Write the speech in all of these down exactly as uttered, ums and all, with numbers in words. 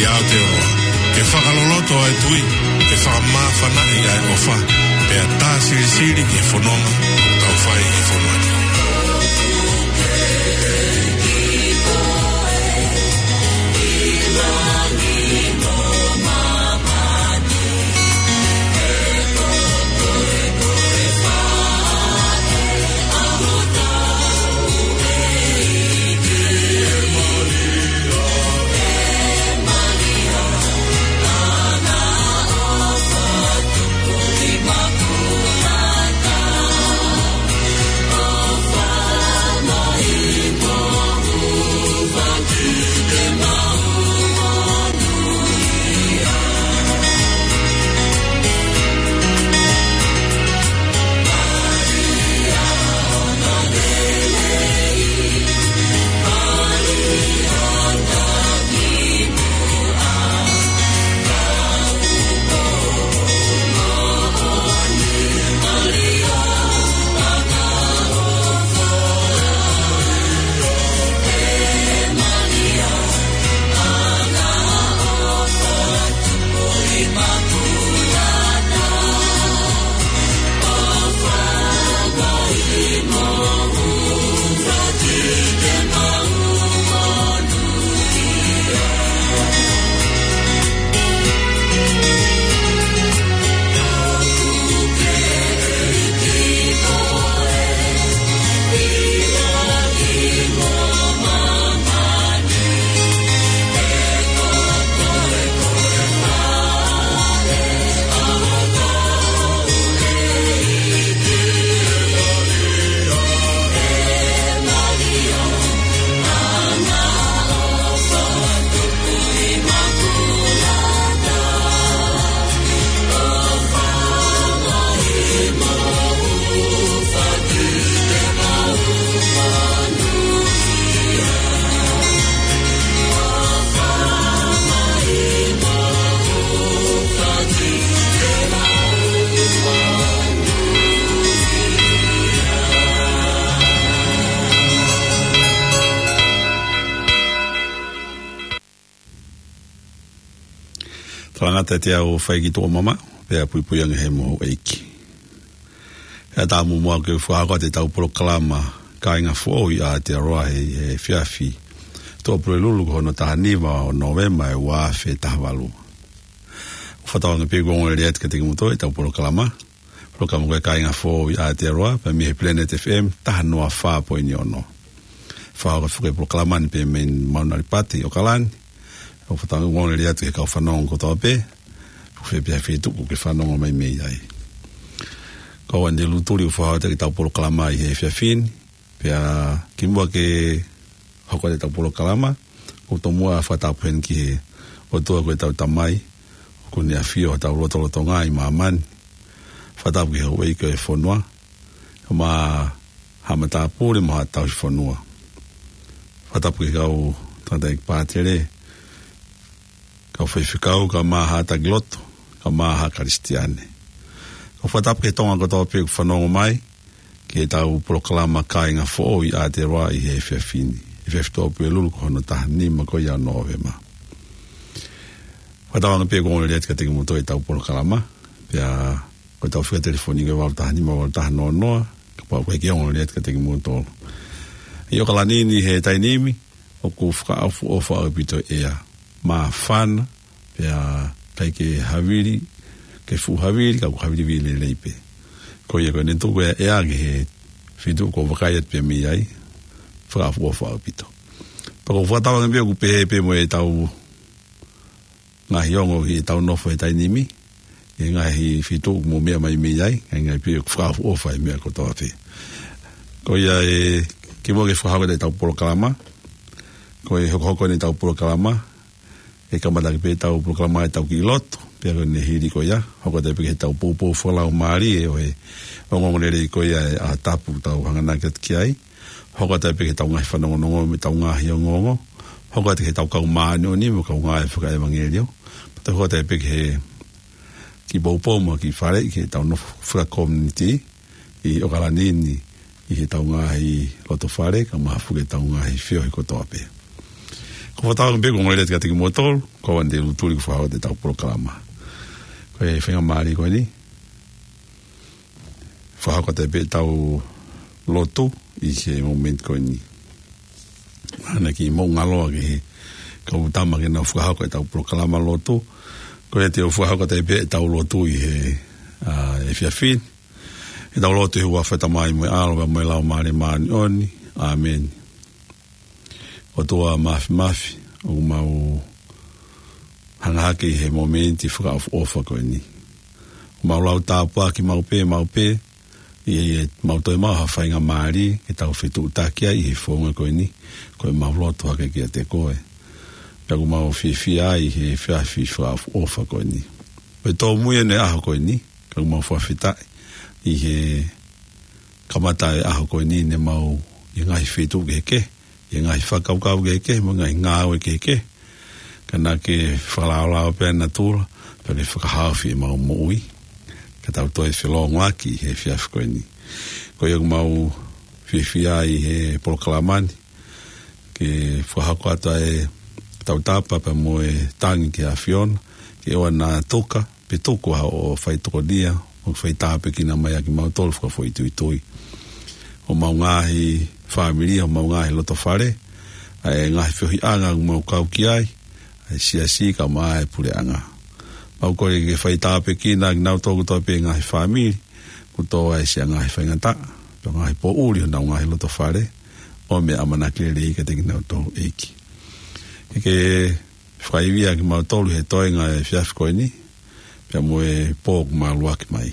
Aotearoa, ke fakaloloto ʻa e tui, ke fakamāfanaʻi ʻa e ʻofa, pea tā silisili ki he fononga ʻoku tau fai ʻi he fonua ni. Talangata ʻiate au ʻa e fai ki tuʻa mama, pea puipui ange he mohu ʻeiki. ʻE ʻatā muʻa ke u fakahoko atu ʻetau polokalama Kāinga Foʻou ʻi Aotearoa he, he efiafi Tuʻapulelulu ko hono taha nima ʻo Nōvema ʻe ua afe taha valu. ʻOku fakatauange pē ʻoku ongo lelei atu kiate kimoutolu ʻetau polokalama. Polokalama ko e Kāinga Foʻou ʻi Aotearoa, pea mei he Planet F M, taha noa fā poini ono. Fakahoko atu e polokalama ni pē mei Mount Alipata ʻi ʻOkalani. ʻOku fakatauange ʻoku ongo lelei atu ki he kau fanongo kotoa pē, ʻoku fē pē ha feituʻu ʻoku ke fanongo mai mei ai. Ko au eni Lutuli ʻoku fakahoko atu ʻetau polokalama ʻi he efiafi ni, pea kimuʻa ke hoko atu ʻetau polokalama, ʻoku ou tomuʻa fakatapu heni ki he ʻOtua ko ʻetau Tamai, ʻoku ne ʻafio ʻi hotau lotolotonga ʻi māmani. Fakatapu ki he houʻeiki ʻo e fonua, kae ʻumaʻā haʻa matāpule mo haʻa tauhi fonua. Fakatapu ki he kau tangataʻeiki pātele, kau faifekau, kae ʻumaʻā haʻa taki lotu, kae ʻumaʻā haʻa Kalisitiane. ʻOku fakatapu ki he Tonga kotoa pē ʻoku fanongo mai ki heʻetau polokalama Kāinga Foʻou ʻi Aotearoa ʻi he efiafi ni, efiafi Tuʻapulelulu ko hono taha nima ko ia ʻo Nōvema. Fakatauange pē ʻoku ongo lelei atu kiate kimoutolu ʻetau polokalama, pea ko ʻetau fika telefoni ko e valu taha nima valu taha noa noa, kapau ʻoku ʻikai ke ongo lelei atu kiate kimoutolu. ʻI ʻOkalani ni he taimi ni, ʻoku fakaʻofoʻofa ʻaupito e ʻea. Māfana, pea ʻikai ke havili, ke fuʻu havili, ka ʻoku havili vili lelei pē. Ko ia ko ʻene tuku e ʻea ki he feituʻu ʻoku ou vakai atu pē mei ai, fakaʻofoʻofa ʻaupito. Pea ʻoku ou fakatauange pē ʻoku pehē pē mo ʻetau ngaahi ongo ʻi heʻetau nofo he taimi ni, ʻi he ngaahi feituʻu ʻoku mou meʻa mai mei ai, ʻa e ngaahi pē ʻoku fakaʻofoʻofa e meʻa kotoa pē. Ko ia ē, kimuʻa ke fakahoko atu ʻetau polokalama, ko e hokohoko eni ʻetau polokalama, ʻe kamata ʻaki pē ʻetau polokalama ʻetau kiʻi lotu, pea ko ʻene hili ko ia, hoko atu pē ki heʻetau poupou fakalaumālie ʻo e ongoongolelei ko ia ʻa e ʻaho tapu ʻoku tau hanganaki atu ki ai, hoko atu pē ki heʻetau ngaahi fanongonongo mo ʻetau ngaahi ongoongo, hoko atu ki heʻetau kau māʻoniʻoni mo e kau ngāue fakaʻevangeliō, pea toe hoko atu pē ki he kiʻi poupou mo e kiʻi faleʻi ki heʻetau nofo fakakomiunitī ʻi ʻOkalani ni, ʻi heʻetau ngaahi lotofale, kae ʻumaʻā foki ʻetau ngaahi feohi kotoa pē. Ko e fakatātā pē ko e ongoongolelei atu kiate kimoutolu, ko ʻeni te u tuli ʻo fakahoko atu ʻetau polokalama. Ko e faingamālie ko ʻeni, fakahoko atu pē ʻetau lotu ʻi he momeniti ko ʻeni. Mahalo naʻe ʻikai ke mou ngalo ʻa e kau tama ke nau fakahoko ʻetau polokalama lotu. Ko ia te u fakahoko atu pē ʻetau lotu ʻi he, ā, efiafi ni. ʻEtau lotu. ʻI he huafa ʻo e Tamai mo e ʻAlo pea mo e Laumālie Māʻoniʻoni. ʻĀmeni. ʻOtua Māfimafi, ʻoku mau hanga hake ʻi he momeniti fakaʻofoʻofa ko ʻeni. ʻOku mau lau tāpuaki maʻu pē, maʻu pē, ʻi heʻemau toe maʻu ha faingamālie ke tau fetuʻutaki ai ʻi he founga ko ʻeni, ko ʻemau lotu hake kiate koe. Pea ʻoku mau fiefia ai ʻi he efiafi fakaʻofoʻofa ko ʻeni. Pea tōmui ʻeni e ʻaho ko ʻeni, ka ʻoku mau fakafetaʻi ʻi he kamata e ʻaho ko ʻeni ne mau ʻi he ngaahi feituʻu kehekehe, ʻi he ngaahi fakakaukau kehekehe, mo e ngaahi ngāue kehekehe. Ka naʻa ke fakalaolao pē ʻa natula, pea ke fakahaofi ʻemau moʻui, ka tau toe felōngoaki ʻi he efiafi ko ʻeni. Ko ia ʻoku mau fiefia ʻi he polokalama ni, ke fakahoko atu ʻa e tautapa pea mo e tangi ki he ʻAfiona, ke ʻoua naʻa tuka, pe tuku ha ʻo fai tokonia, ʻo fai tāpuekina mai ʻa kimautolu fakafoʻituitui. ʻO homau ngaahi fāmili, ʻo homau ngaahi lotofale, ʻa e ngaahi feohiʻanga ʻoku mau kau ki ai, ʻa e siasi kae ʻumaʻā e puleʻanga. Mau kole ke fai tāpuekina ʻa kinautolu kotoa pē ngaahi fāmili, kuo tō ai siʻa ngaahi faingataʻa, pe ngaahi poʻuli honau ngaahi lotofale, ʻomi e ʻamanaki lelei kiate kinautolu ʻEiki. Ke ke fakaivia kimautolu he toenga e efiafi ko ʻeni, pea mo e pō ʻoku māluaki mai.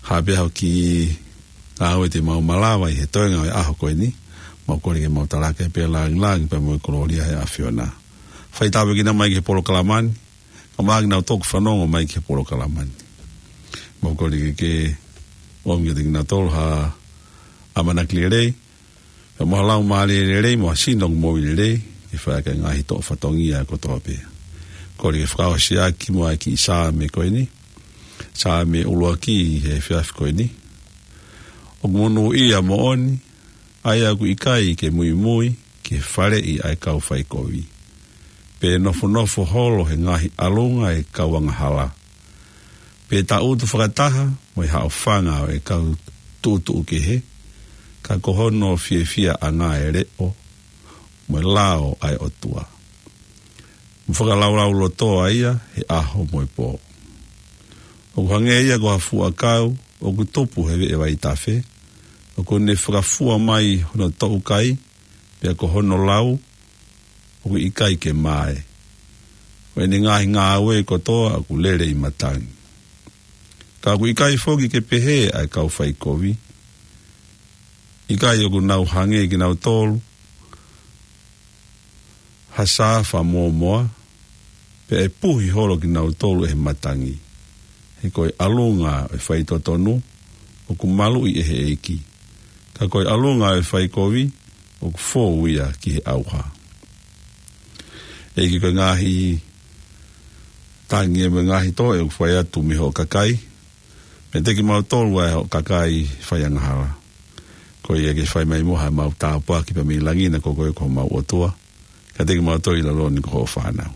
Ha pē ha kiʻi ngāue te mau malava ʻi he toenga e ʻaho ko ʻeni, mau kole ke mau talaki pē e lāngilangi pea mo e kolōlia ʻa e ʻAfiona. Fai tāpuekina mai ki he polokalama ni, kae ʻumaʻā kinautolu ʻoku fanongo mai ki he polokalama ni. Mau kole ke ke ʻomi kiate kinautolu ha ʻamanaki lelei, pea mo ha laumālie lelei, mo ha sino moʻui lelei, ke fai ʻaki e ngaahi toʻo fatongia kotoa pē. Kole ke fakaʻosi ʻaki muʻa e kiʻi Saame ko ʻeni. Saame ʻuluaki ʻi he efiafi ko ʻeni. ʻOku monūʻia moʻoni, ʻa ia ʻoku ʻikai ke muimui ki he faleʻi ʻa e kau faikovi, pe nofonofo holo he ngaahi ʻalunga e kau angahala, pe tangutu fakataha mo e haʻofanga ʻo e kau tuʻutuʻu kehe, ka ko hono fiefiaʻanga e leʻo mo e lao ʻa e ʻOtua, mo fakalaulauloto ʻa ia he ʻaho mo e pō. ʻOku hangē ia ko ha fuʻu ʻakau ʻoku tupu he veʻe vaitafe, ʻoku ne fakafua mai hono toʻukai, pea ko hono lau ʻoku ʻikai ke mae. Ko ʻene ngaahi ngāue kotoa ʻoku lele ʻi matangi. Ka ʻoku ʻikai foki ke pehē ʻa e kau faikovi, ʻikai ʻoku nau hangē kinautolu ha saafa mōmoa, pea ʻe puhi holo kinautolu ʻe he matangi. He ko e ʻalunga ʻo e faitotonu ʻoku maluʻi ʻe he ʻEiki, ka ko e ʻalunga ʻo e faikovi ʻoku fou ia ki he ʻauha. ʻEiki, ko e ngaahi tangi mo e ngaahi toʻe ʻoku fai atu mei hoʻo kakai, meiate kimautolu ʻa e hoʻo kakai faiangahala. Ko ia ke fai mai muʻa haʻamau tāpuaki pea mei langi, he ko koe ko homau ʻOtua, kiate kimautolu ʻi lalo ni ko hoʻo fānau.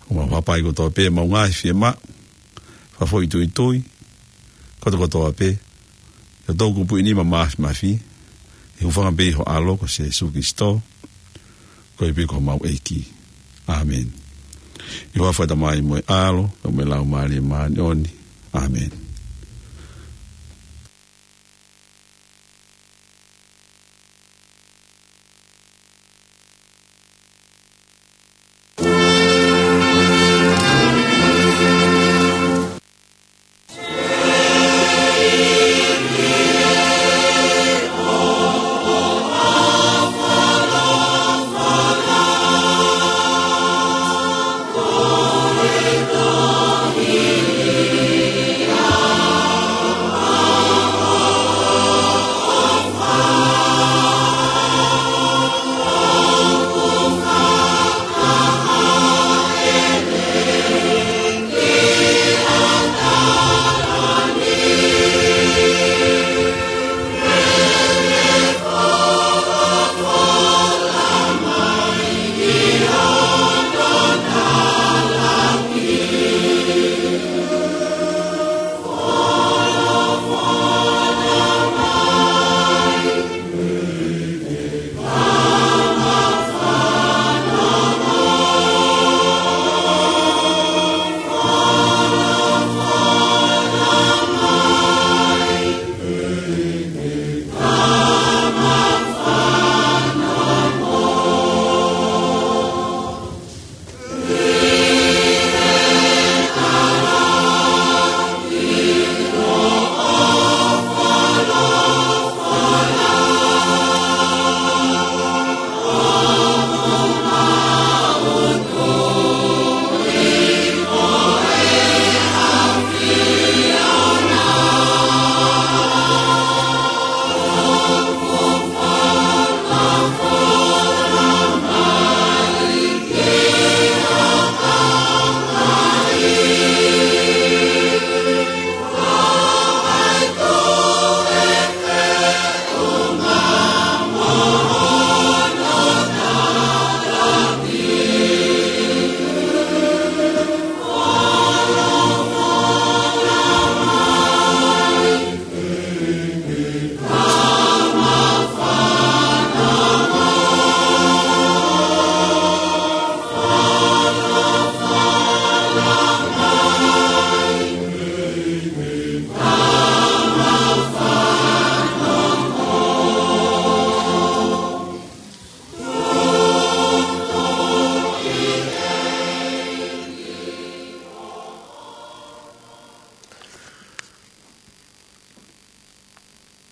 ʻOku mau hapai kotoa pē ʻemau ngaahi fiemaʻu, fakafoʻituitui, kotokotoa pē, ʻi hoʻo toʻukupu ʻi he nima māfimafi, ʻi he hūfanga pē ʻi ho ʻAlo ko Sīsū Kalaisi, ko ia pē ko homau ʻEiki. ʻĀmeni. ʻI he huafa ʻo e Tamai mo e ʻAlo, pea mo e Laumālie Māʻoniʻoni. ʻĀmeni.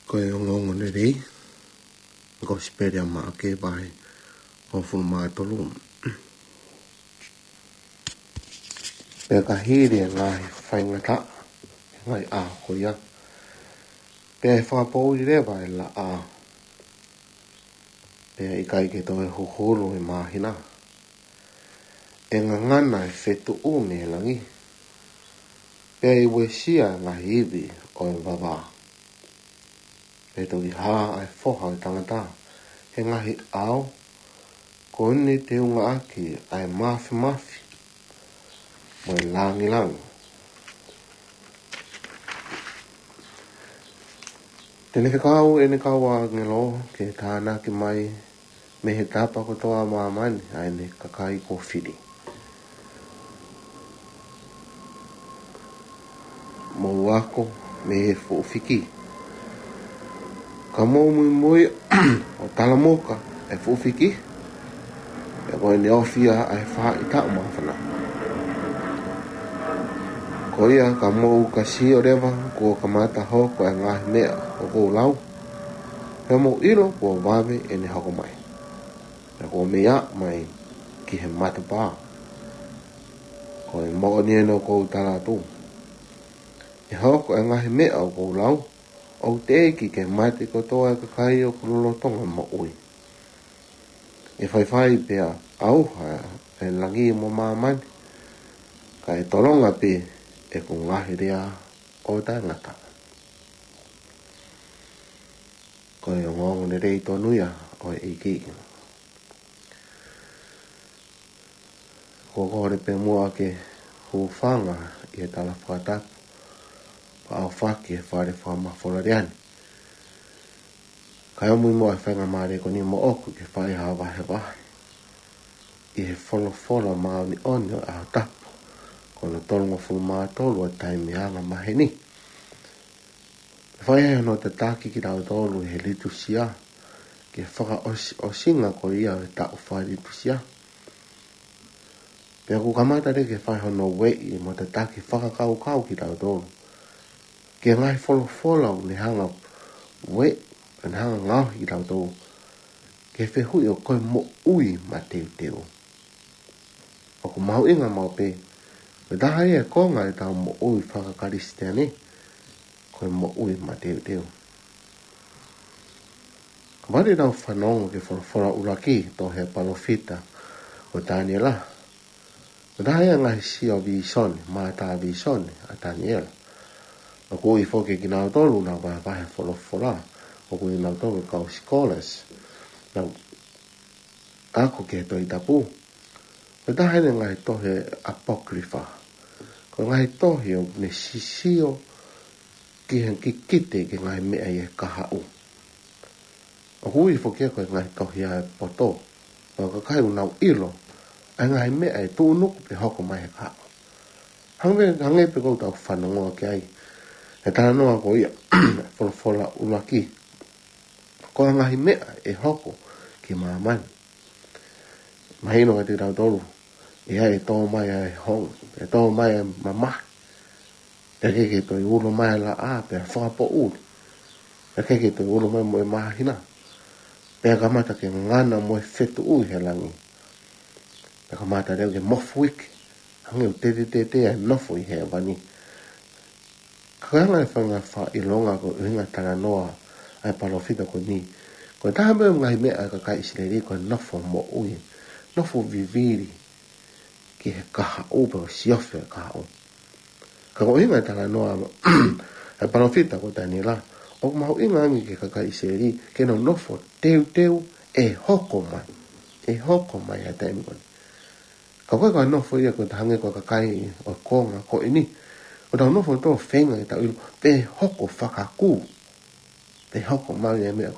Ko e ongoongo lelei, Kosipeli ʻa Maʻake vahe hongofulu mā tolu. Pea ka hili e ngaahi faingataʻa, ngaahi ʻaho ko ia, pea ʻe fakapoʻuli leva e laʻā, pea ʻikai ke toe huhulu e māhina. ʻE ngangana e fetuʻu mei langi, pea ʻe uesia e ngaahi ivi ʻo e vavā. Pea ʻe toki hā ʻa e Foha ʻo e tangata he ngaahi ʻao, ko ʻene teungaʻaki ʻa e māfimafi mo e langilangi. Te ne fekau ʻene kau ʻāngelo ke tānaki mai mei he tapa kotoa ʻo māmani ʻa ʻene kakai kuo fili. Mou ako mei he fuʻu fiki. Ka mou muimui ʻo talamuka e fuʻu fiki, pea ko ʻene ofi ia ʻa e faʻahitaʻu māfana. Ko ia ka mou ka sio leva kuo kamata hoko e ngaahi meʻa ʻoku ou lau, pea mou ʻilo kuo vave ʻene hoko mai, pea kuo mei aʻu mai ki he matapā. Ko e moʻoni eni ʻoku ou tala atu, ʻe hoko e ngaahi meʻa ʻoku ou lau, ʻoku teʻeki ke mate kotoa e kakai ʻoku lolotonga moʻui. ʻE faifai pea ʻauha e langi mo māmani, ka ʻe tolonga pē ʻeku ngaahi lea ʻo taʻengata. Ko e ongoongo lelei tonu ia ʻo e ʻEiki. Ko e kole pē muʻa ke hūfanga ʻi he tala fakatapu, pea ʻaofaki he fale fakamafola lea ni. Kae ʻomi muʻa e faingamālie ko eni moʻoku ke fai ha vahevahe ʻi he folofola māʻoniʻoni ʻo e ʻaho tapu, ko hono tolungofulu mā tolu ʻo e taimi anga maheni. Fai ai hono tataki kitautolu he litusia, ki he fakaʻosiʻosinga ko ia ʻo e taʻu fai litusia. Pea ʻoku kamata leva ke fai hono ueʻi mo tataki fakakaukau kitautolu ki he ngaahi folofola ʻoku ne hanga ueʻi, ʻoku ne hanga ngaohi kitautolu ki he fehuʻi ʻo ko e moʻui mateuteu. ʻOku mahuʻinga maʻu pē, ko e taha ia e konga ʻetau moʻui faka-Kalisitiane, ko e moʻui mateuteu. Kapau te tau fanongo ki he folofola ʻuluaki tohi ʻa e palōfita ko Taniela, ko e taha ia e ngaahi sio vīsone, mātā vīsone ʻa Taniela. ʻOku ui foki kinautolu ʻoku nau vahevahe folofola, ʻoku ui kinautolu ko e kau scholars, nau ako ki he Tohi Tapu. Ko e taha eni e ngaahi tohi apocrypha. Ko e ngaahi tohi ʻoku ne sisio ki he kikite ki he ngaahi meʻa ʻi he kahaʻu. ʻOku ui foki ia ko e ngaahi tohi ʻa e poto. Ko e kakai ʻoku nau ʻilo ʻa e ngaahi meʻa ʻe tuʻunuku pe hoko mai he kahaʻu. Hangē, hangē pē ko ʻetau fanongo ki ai he talanoa ko ia, folofola ʻuluaki. Ko e ngaahi meʻa ʻe hoko ki māmani. Mahino kiate kitautolu, ʻe ʻi ai e tō mai ʻa e honge, ʻe tō mai ʻa e mamahi. Pea ʻikai ke toe ulo mai ʻa e laʻā, pea fakapoʻuli. Pea ʻikai ke toe ulo mai mo e māhina. Pea kamata ke ngangana mo e fetuʻu ʻi he langi. Pea kamata leva ke mofuike, hangē ʻoku tetetete ʻa e nofo ʻi hēvani. Ka ko e anga e fanga fakaʻilonga ko e ʻuhinga talanoa ʻa e palōfita ko eni, ko e taha mei he ngaahi meʻa ʻa e kakai ʻIsileli ko e nofo moʻui, nofo vivili ki he kahaʻu pe ko e siofi ʻo e kahaʻu. Ka ko e ʻuhinga e talanoa ʻa e palōfita ko Taniela, ʻoku mahuʻinga ange ki he kakai ʻIsileli ke nau nofo teuteu ʻe hoko mai, ʻe hoko mai ʻa e taimi ko eni. Ka ko e ka nofo ia ko e hangē ko e kakai ʻo e konga ko eni, ʻoku tau nofo tautolu ʻo feinga ke tau ʻilo pe hoko fakakū, pe hoko mai e meʻa.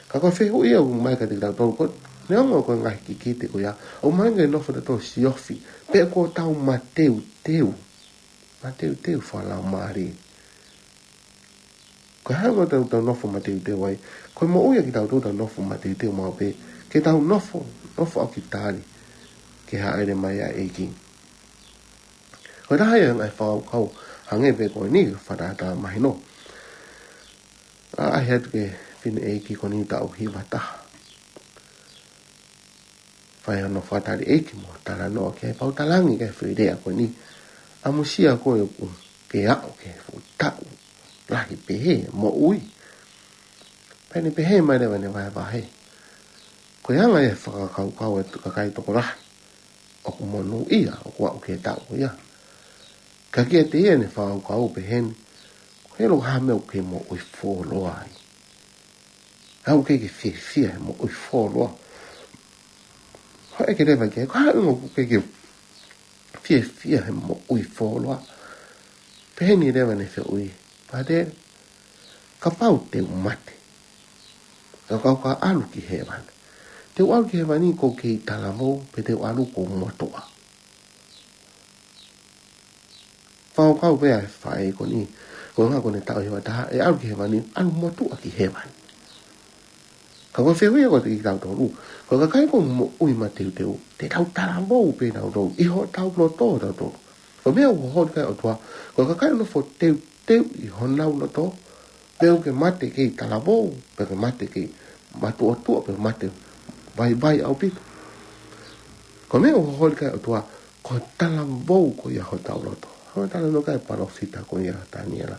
Ka ko e fehuʻi ia ʻoku ʻomai kiate kitautolu ko e, neongo ko e ngaahi kikite ko ia, ʻoku ʻomai ke nofo tautolu ʻo siofi pe kuo tau mateuteu, mateuteu fakalaumālie. Ko e hā ʻoku tau, tau nofo mateuteu ai? Ko e moʻui ʻa kitautolu tau nofo mateuteu maʻu pē, ke tau nofo, nofo ʻaki tali ki he hāʻele mai ʻa e ʻEiki. Ko e taha ia e ngaahi fakakaukau hangē pē ko eni, fakatātā mahino. ʻA, ʻAi atu ki he fineʻeiki ko eni taʻu hiva taha. Fai hono fakatali ʻeiki mo talanoa ki ai, pea u talaange ki he foʻi lea ko eni, ʻamusia koe ʻoku ke aʻu ki he fuʻu taʻu lahi pehē moʻui. Pea ne pehē mai leva ʻene vahevahe, ko e anga e fakakaukau ʻa e kakai tokolahi ʻoku monūʻia ʻoku aʻu ki he taʻu ia. Ka kiate ia ʻene fakakaukau pehē ni, ko e ʻilo ha meʻa ʻoku ke moʻui fuoloa ai. Aʻu ke ke fiefia he moʻui fuoloa. Hoko atu leva ki ai, ko e hā e ʻuhinga ʻoku ke ke fiefia he moʻui fuoloa? Pehē ni leva ʻene fehuʻi, Pātele, kapau te u mate, ka u kau ka ʻalu ki hēvani, te u ʻalu ki hēvani ʻoku ou kei talavou pe te u ʻalu ʻoku ou motuʻa? Fakakaukau pē ʻa e faʻē ko eni, ko e ʻuhinga ko ʻene taʻu hiva taha, ʻe ʻalu ki hēvani ʻalu motuʻa ki hēvani. Ka ko e fehuʻi ia kiate kitautolu, ko e kakai ʻoku moʻui mateuteu, te tau talavou pē tautolu ʻi hotau loto tautolu. Ko e meʻa ʻoku holi ki ai e ʻOtua, ko e kakai ʻoku nofo teuteu ʻi honau loto, pe ʻoku ke mate kei talavou, pe ke mate kei matuʻotuʻa, pe mate vaivai ʻaupito. Ko e meʻa ʻoku holi ki ai e ʻOtua, ko e talavou ko ia hotau loto. Hangē ko e talanoa ki ai e palōfita ko ia ʻa Taniela.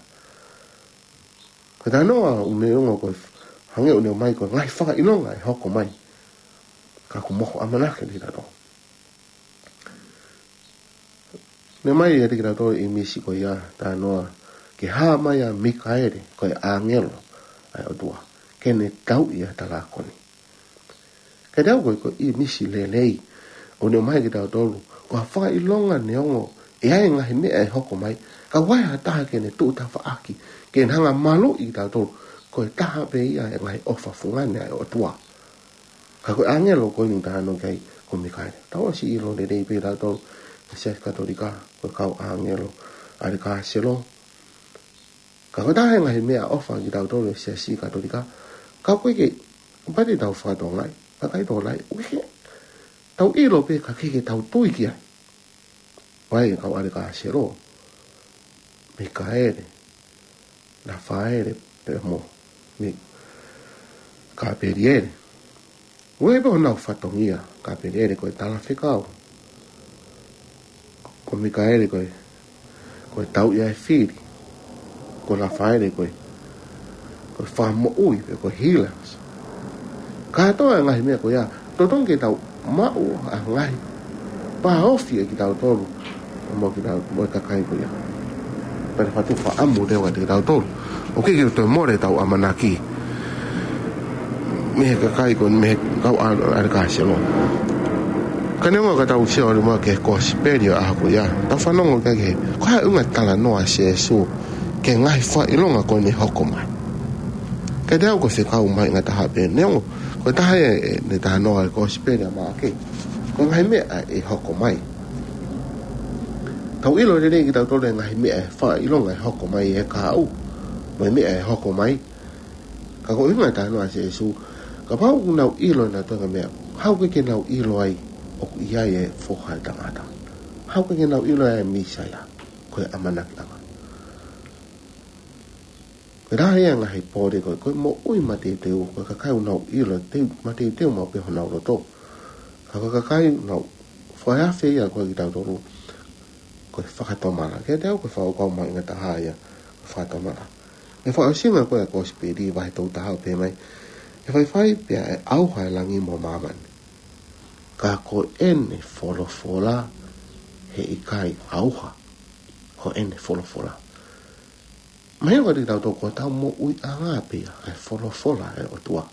Ko e talanoa ʻoku ne ongo ko e hangē ʻoku ne ʻomai ko e ngaahi fakaʻilonga ʻe hoko mai. Ka ʻoku mohu ʻamanaki ʻiate kitautolu. Ne ʻomai ʻiate kitautolu e ʻīmisi ko ia, talanoa ki he hā mai ʻa Mikaele, ko e ʻāngelo ʻa e ʻOtua, ke ne tauʻi ʻa e talākoni. Ka tau ko e, ko e ʻīmisi lelei ʻoku ne ʻomai kiate kitautolu, ko e fakaʻilonga neongo ʻe ʻi ai e ngaahi meʻa ʻe hoko mai, ka ʻoku ʻi ai ha taha ke ne tuʻu tafaʻaki, ke ne hanga ʻo maluʻi kitautolu, ko e taha pē ia e ngaahi ʻofa fungani ʻa e ʻOtua. Ka ko e ʻāngelo ko eni ʻoku talanoa ki ai ko Mikaele. Tau ʻosi ʻilo lelei pē ʻe tautolu he Siasi Katolika, ko e kau ʻāngelo ʻa e ʻAlikāselo. Ka ko e taha e ngaahi meʻaʻofa kiate kitautolu he Siasi Katolika, ka ʻoku ʻikai ke, kapau te tau fakatonga ai, ka ʻikai tokolahi, ʻoku ʻikai ke tau ʻilo pē ka ʻoku ʻikai ke tau tui ki ai. Ko e kau ʻAlikāselo, Mikaele, Lafaele, pea mo Mi-, Kapeliele. ʻOku ʻi ai pē honau fatongia, Kapeliele ko e talafekau. Ko Mikaele ko e, ko e tauʻi ʻa e fili. Ko Lafaele ko e, ko e fakamoʻui pe ko e healer. Kātoa e ngaahi meʻa ko ia, totonu ke tau maʻu ʻa e ngaahi pāofi ʻa kitautolu mo kitau-, mo e kakai ko ia. Pea ne fakatupu ʻamu leva kiate kitautolu, ʻoku ʻikai ke toe mole ʻetau ʻamanaki mei he kakai ko eni, mei he kau ʻa-, ʻAlikāselo. Ka neongo ka tau sio ʻalu mai ki he kosipeli ʻo e ʻaho ko ia, tau fanongo ki ai ki he, ko e hā e ʻuhinga e talanoa ʻa Sīsū ki he ngaahi fakaʻilonga ko eni ʻe hoko mai. Kiate au ko e fekau mahuʻinga taha pē, neongo ko e taha ē ʻene talanoa ʻi he kosipeli ʻa Maʻake, ko e ngaahi meʻa ʻe hoko mai. Tau ʻilo lelei kitautolu e ngaahi meʻa ʻe fakaʻilonga ʻe hoko mai ʻe he kahaʻu, mo e meʻa ʻe hoko mai. Ka ko e ʻuhinga e talanoa ʻa Sīsū, kapau ʻoku nau ʻilo ʻe nautolu e ngaahi meʻa, haʻu ke ke nau ʻilo ai ʻoku ʻi ai e Foha ʻo e Tangata. Haʻu ke ke nau ʻilo ai e Mīsaia, ko e ʻamanakiʻanga. Ko e lahi ia e ngaahi pole ko e, ko e moʻui mateuteu, ko e kakai ʻoku nau ʻilo, teu, mateuteu maʻu pē honau loto. Ka ko e kakai ʻoku nau faiafe ia ko e kitautolu, ko e fakatomala. Kiate au ko e fakakaukau mahuʻinga taha ia, ko e fakatomala. ʻI he fakaʻosinga ko e kosipeli vahe tolu taha ʻoku pehē mai, ʻe faifai pea ʻe ʻauha e langi mo māmani, ka ko ʻene folofola heʻikai ʻauha. Ko ʻene folofola. Mahino kiate kitautolu ko ʻetau moʻuiʻanga pē ia ʻa e folofola ʻa e ʻOtua.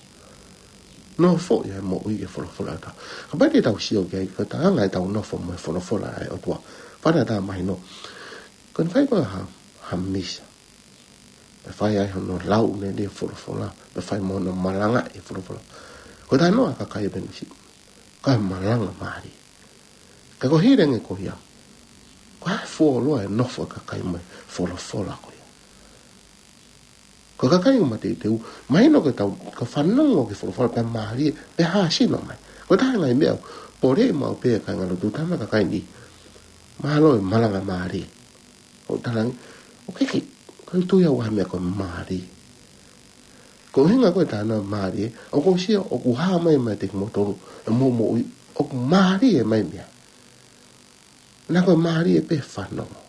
Nofoʻi ʻa e moʻui ki he folofola ʻa e ʻOtua. Kapau te tau sio ki ai, ko e taha ʻetau nofo mo e folofola ʻa e ʻOtua. Fana tā mahino. Ko eni fai ko e ha, ha misa. Pea fai ai hono lau lelei e folofola. Pea fai mo hono malangaʻi e folofola. Ko e talanoa ʻa e kakai ʻo Penisi, kae malanga mālie. Ka ko e hili ange ko ia, ko e hā e fuoloa e nofo ʻa e kakai mo e folofola ko ia? Ko e kakai ʻoku mateuteu, mahino ke tau, ka fanongo ki he folofola pea mālie, pea hāsino mai. Ko e taha e ngaahi meʻa ʻoku poleʻi maʻu pē ʻe he kāingalotu, tama kakai ni. Mālō e malanga mālie. ʻOku talaange, ʻoku ʻikai ke, ʻikai tui au ha meʻa ko e mālie. Ko e ʻuhinga ko e talanoa mālie, ʻoku ou sio, ʻoku hā mai meiate kimoutolu, ʻa e moʻui, ʻoku mālie mai meʻa. Naʻa ko e mālie pē fanongo.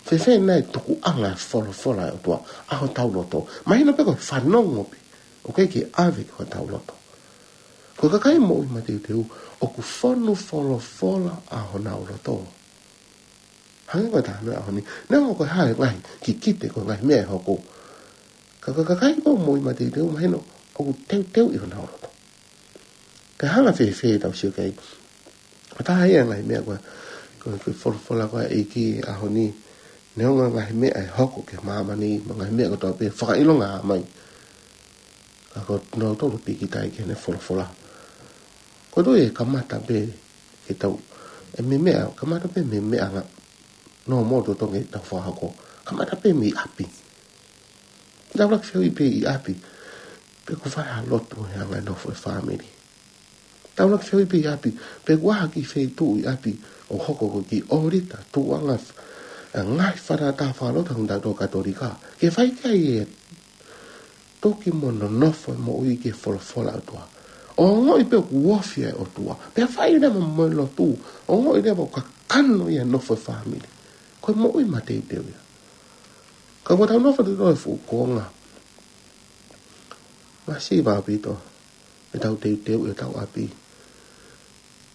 Fēfē nai tukuʻanga e folofola ʻa e ʻOtua, ʻa hotau loto. Mahino pē ko e fanongo pē, ʻoku ʻikai ke ʻave ki hotau loto. Ko e kakai moʻui mateuteu, ʻoku fonu folofola ʻa honau loto. Hangē ko e talanoa ʻo e ʻaho ni. Neongo ko e hā e ngaahi kikite ko e ngaahi meʻa ʻe hoko. Ka, ka, kakai ko e moʻui mateuteu mahino, ʻoku teuteu ʻi honau loto. Ka hanga fēfē ʻetau sio ki ai. Ko e taha ia e ngaahi meʻa ko e, ko e, ko e folofola ko e ʻEiki ʻo e ʻaho ni. Neongo ngaahi meʻa ʻe hoko ki māmani, mo e ngaahi meʻa kotoa pē fakaʻilonga mai. Ka ko nautolu pīkitai ki heʻene folofola. Ko e toe kamata pē ke tau, ʻe mei meʻa, kamata pē mei meʻa nga, no mo to tonge tau fakahoko. Kamata pē mei ʻapi. Tau laki fehuʻi pē ʻi ʻapi. Pe ʻoku fai ha lotu he anga e nofo e fāmili. Tau laki fehuʻi pē ʻi ʻapi, pe ʻoku ʻi ai ha kiʻi feituʻu ʻi ʻapi, ʻoku hoko ko e kiʻi ʻōlita, tukuʻanga, ʻa e ngaahi fakatātā fakalotu ʻa kitautolu Katolika. Ke fai ki ai e toki mo nonofo e moʻui ki he folofola ʻa e ʻOtua. ʻO ongoʻi pē ʻoku ofi ʻa e ʻOtua. Pea fai leva mo e lotu, ʻo ongoʻi leva ʻoku kakano ia e nofo e fāmili. Ko e moʻui mateuteu ia. Ka ʻoku tau nofo atu ʻi he fuʻu kuonga. Masiva ʻaupito. ʻEtau teuteu ʻi hotau ʻapi.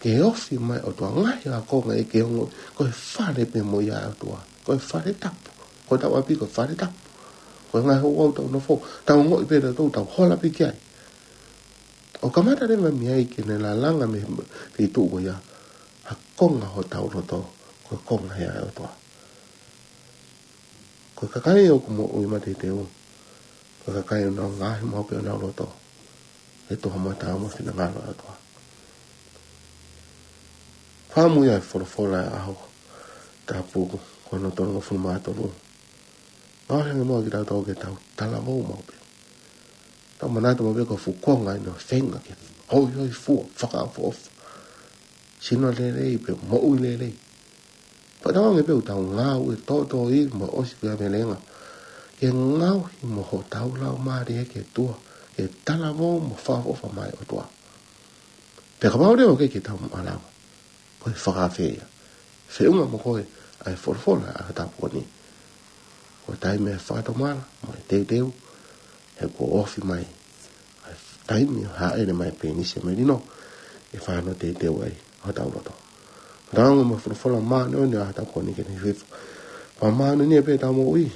Ke ofi mai ʻOtua, ngaahi ākonga ʻe ke ongo, ko e fale pē mo ia ʻa e ʻOtua. Ko e fale tapu. Ko hotau ʻapi ko e fale tapu. Ko e ngaahi ouau ʻoku tau nofo, tau ongoʻi pē tautolu, tau hola pē ki ai. ʻO kamata leva mei ai ke ne lalanga mei he feituʻu ko ia. Ha konga hotau loto, ko e konga ia ʻa e ʻOtua. Ko e kakai ʻoku moʻui mateuteu. Ko e kakai ʻoku nau ngaahi maʻu pē honau loto. ʻE toʻo mata mo e finangalo ʻa e ʻOtua. Fakamuimuiʻi ʻa e folofola ʻa e ʻaho tapu ko hono tolungofulu mā tolu. Ngaohi ange muʻa kitautolu ke tau talavou maʻu pē. Tau manatu maʻu pē ko e fuʻu kuonga ʻeni ʻoku feinga ke hoihoifua, fakaʻofoʻofa. Sino lelei pē, moʻui lelei. Pea tau ange pē ʻoku tau ngāue tōtōivi mo ʻosi pē ʻa e melenga. Ke ngaohi mo hotau laumālie ki he ʻOtua. Ke talavou mo fakaʻofoʻofa mai ʻOtua. Pea kapau leva ʻoku ʻikai ke tau malava. Ko e fakaafe ia. Feʻunga mo ko e, ʻa e folofola ʻa e tapu ko eni. Ko e taimi ʻe fakatomala, mo e teuteu, he kuo ofi mai. ʻA e taimi ʻo hāʻele mai pē ʻi he melino, ʻe fano teuteu ai, hotau loto. Tau mo e folofola māʻoniʻoni ʻa e tapu ko eni ke ne hifo. Pea māʻoniʻoni pē ʻetau moʻui,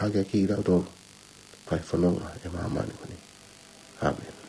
hake ki he ʻOtua. Fai fononga ʻi māmani ko eni. ʻĀmeni.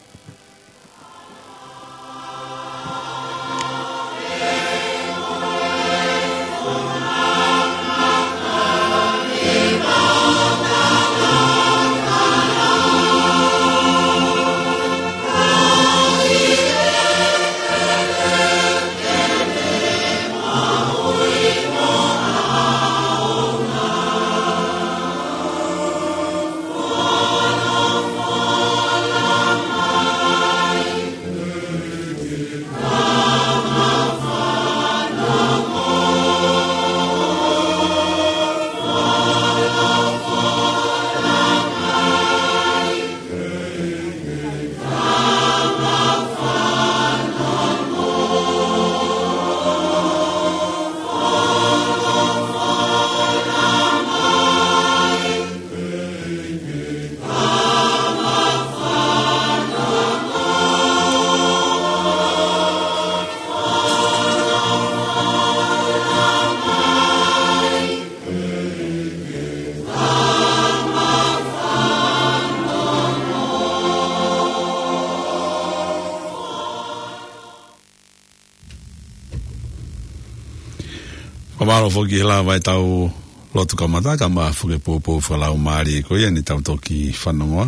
Fakamālō foki he lava ʻetau lotu kamata, kae ʻumaʻā foki e poupou fakalaumālie ko ia ne tau toki fanongoa.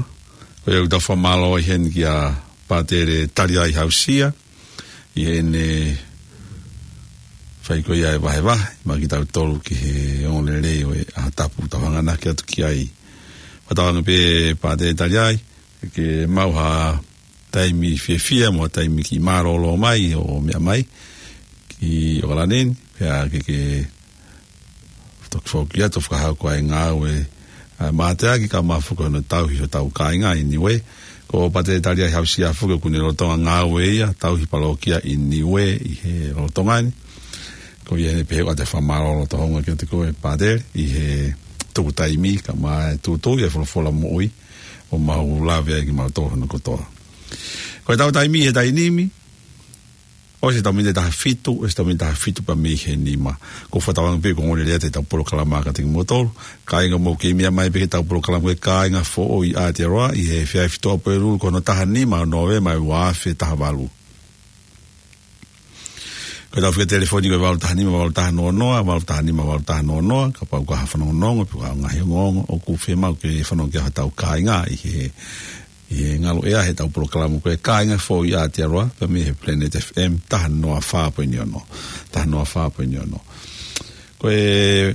Ko ia ʻoku tau fakamālō ai heni kia Pātele Taliai Hausia, ʻi heʻene fai ko ia e vahevahe maʻa kitautolu ki he ongoongolelei ʻo e ʻaho tapu ʻoku tau hanganaki atu ki ai. Fakatauange pē Pātele Taliai, ke maʻu ha taimi fiefia mo ha taimi kiʻi mālōlō mai ʻo meʻa mai ki ʻOkalani ni, pea ke ke toki foki atu ʻo fakahoko ʻa e ngāue ʻa e mateaki kae ʻumaʻā foki hono tauhi hotau kāinga ʻi Niue. Ko Pātele Taliaʻi Hausia foki ʻoku ne lolotonga ngāue ia, tauhi palōkia ʻi Niue ʻi he lolotonga ni. Ko ia ʻeni pē ʻoku ou fakamālō loto houngaʻia kiate koe Pātele ʻi he tuku taimi kae ʻumaʻā e tūtū ʻi he folofola moʻui ʻo mau lave ai kimautolu hono kotoa. Ko ʻetau taimi he taimi ni, ʻosi ʻetau miniti ʻe taha fitu, ʻosi ʻetau miniti ʻe taha fitu pea mei he nima. ʻOku ou fakatauange pē ʻoku ongoongolelei atu ʻetau polokalama kiate kimoutolu. Kāinga, mou kei meʻa mai pē ki heʻetau polokalama ko e Kāinga Foʻou ʻi Aotearoa ʻi he efiafi Tuʻapulelulu ko hono taha nima ʻo Nōvema ʻi he ua afe taha valu. Ko ʻetau fika telefoni ko e valu taha nima valu taha noa noa, valu taha nima valu taha noa noa, kapau ʻoku ʻi ai ha fanongonongo, pe ko ha ngaahi ongoongo ʻoku fiemaʻu ke fanongo ki ai hotau kāinga ʻi he, ʻi he ngaluʻea heʻetau polokalama ko e Kāinga Foʻou ʻi Aotearoa, pea mei he Planet F M taha noa fā poini ono, taha noa fā poini ono. Ko e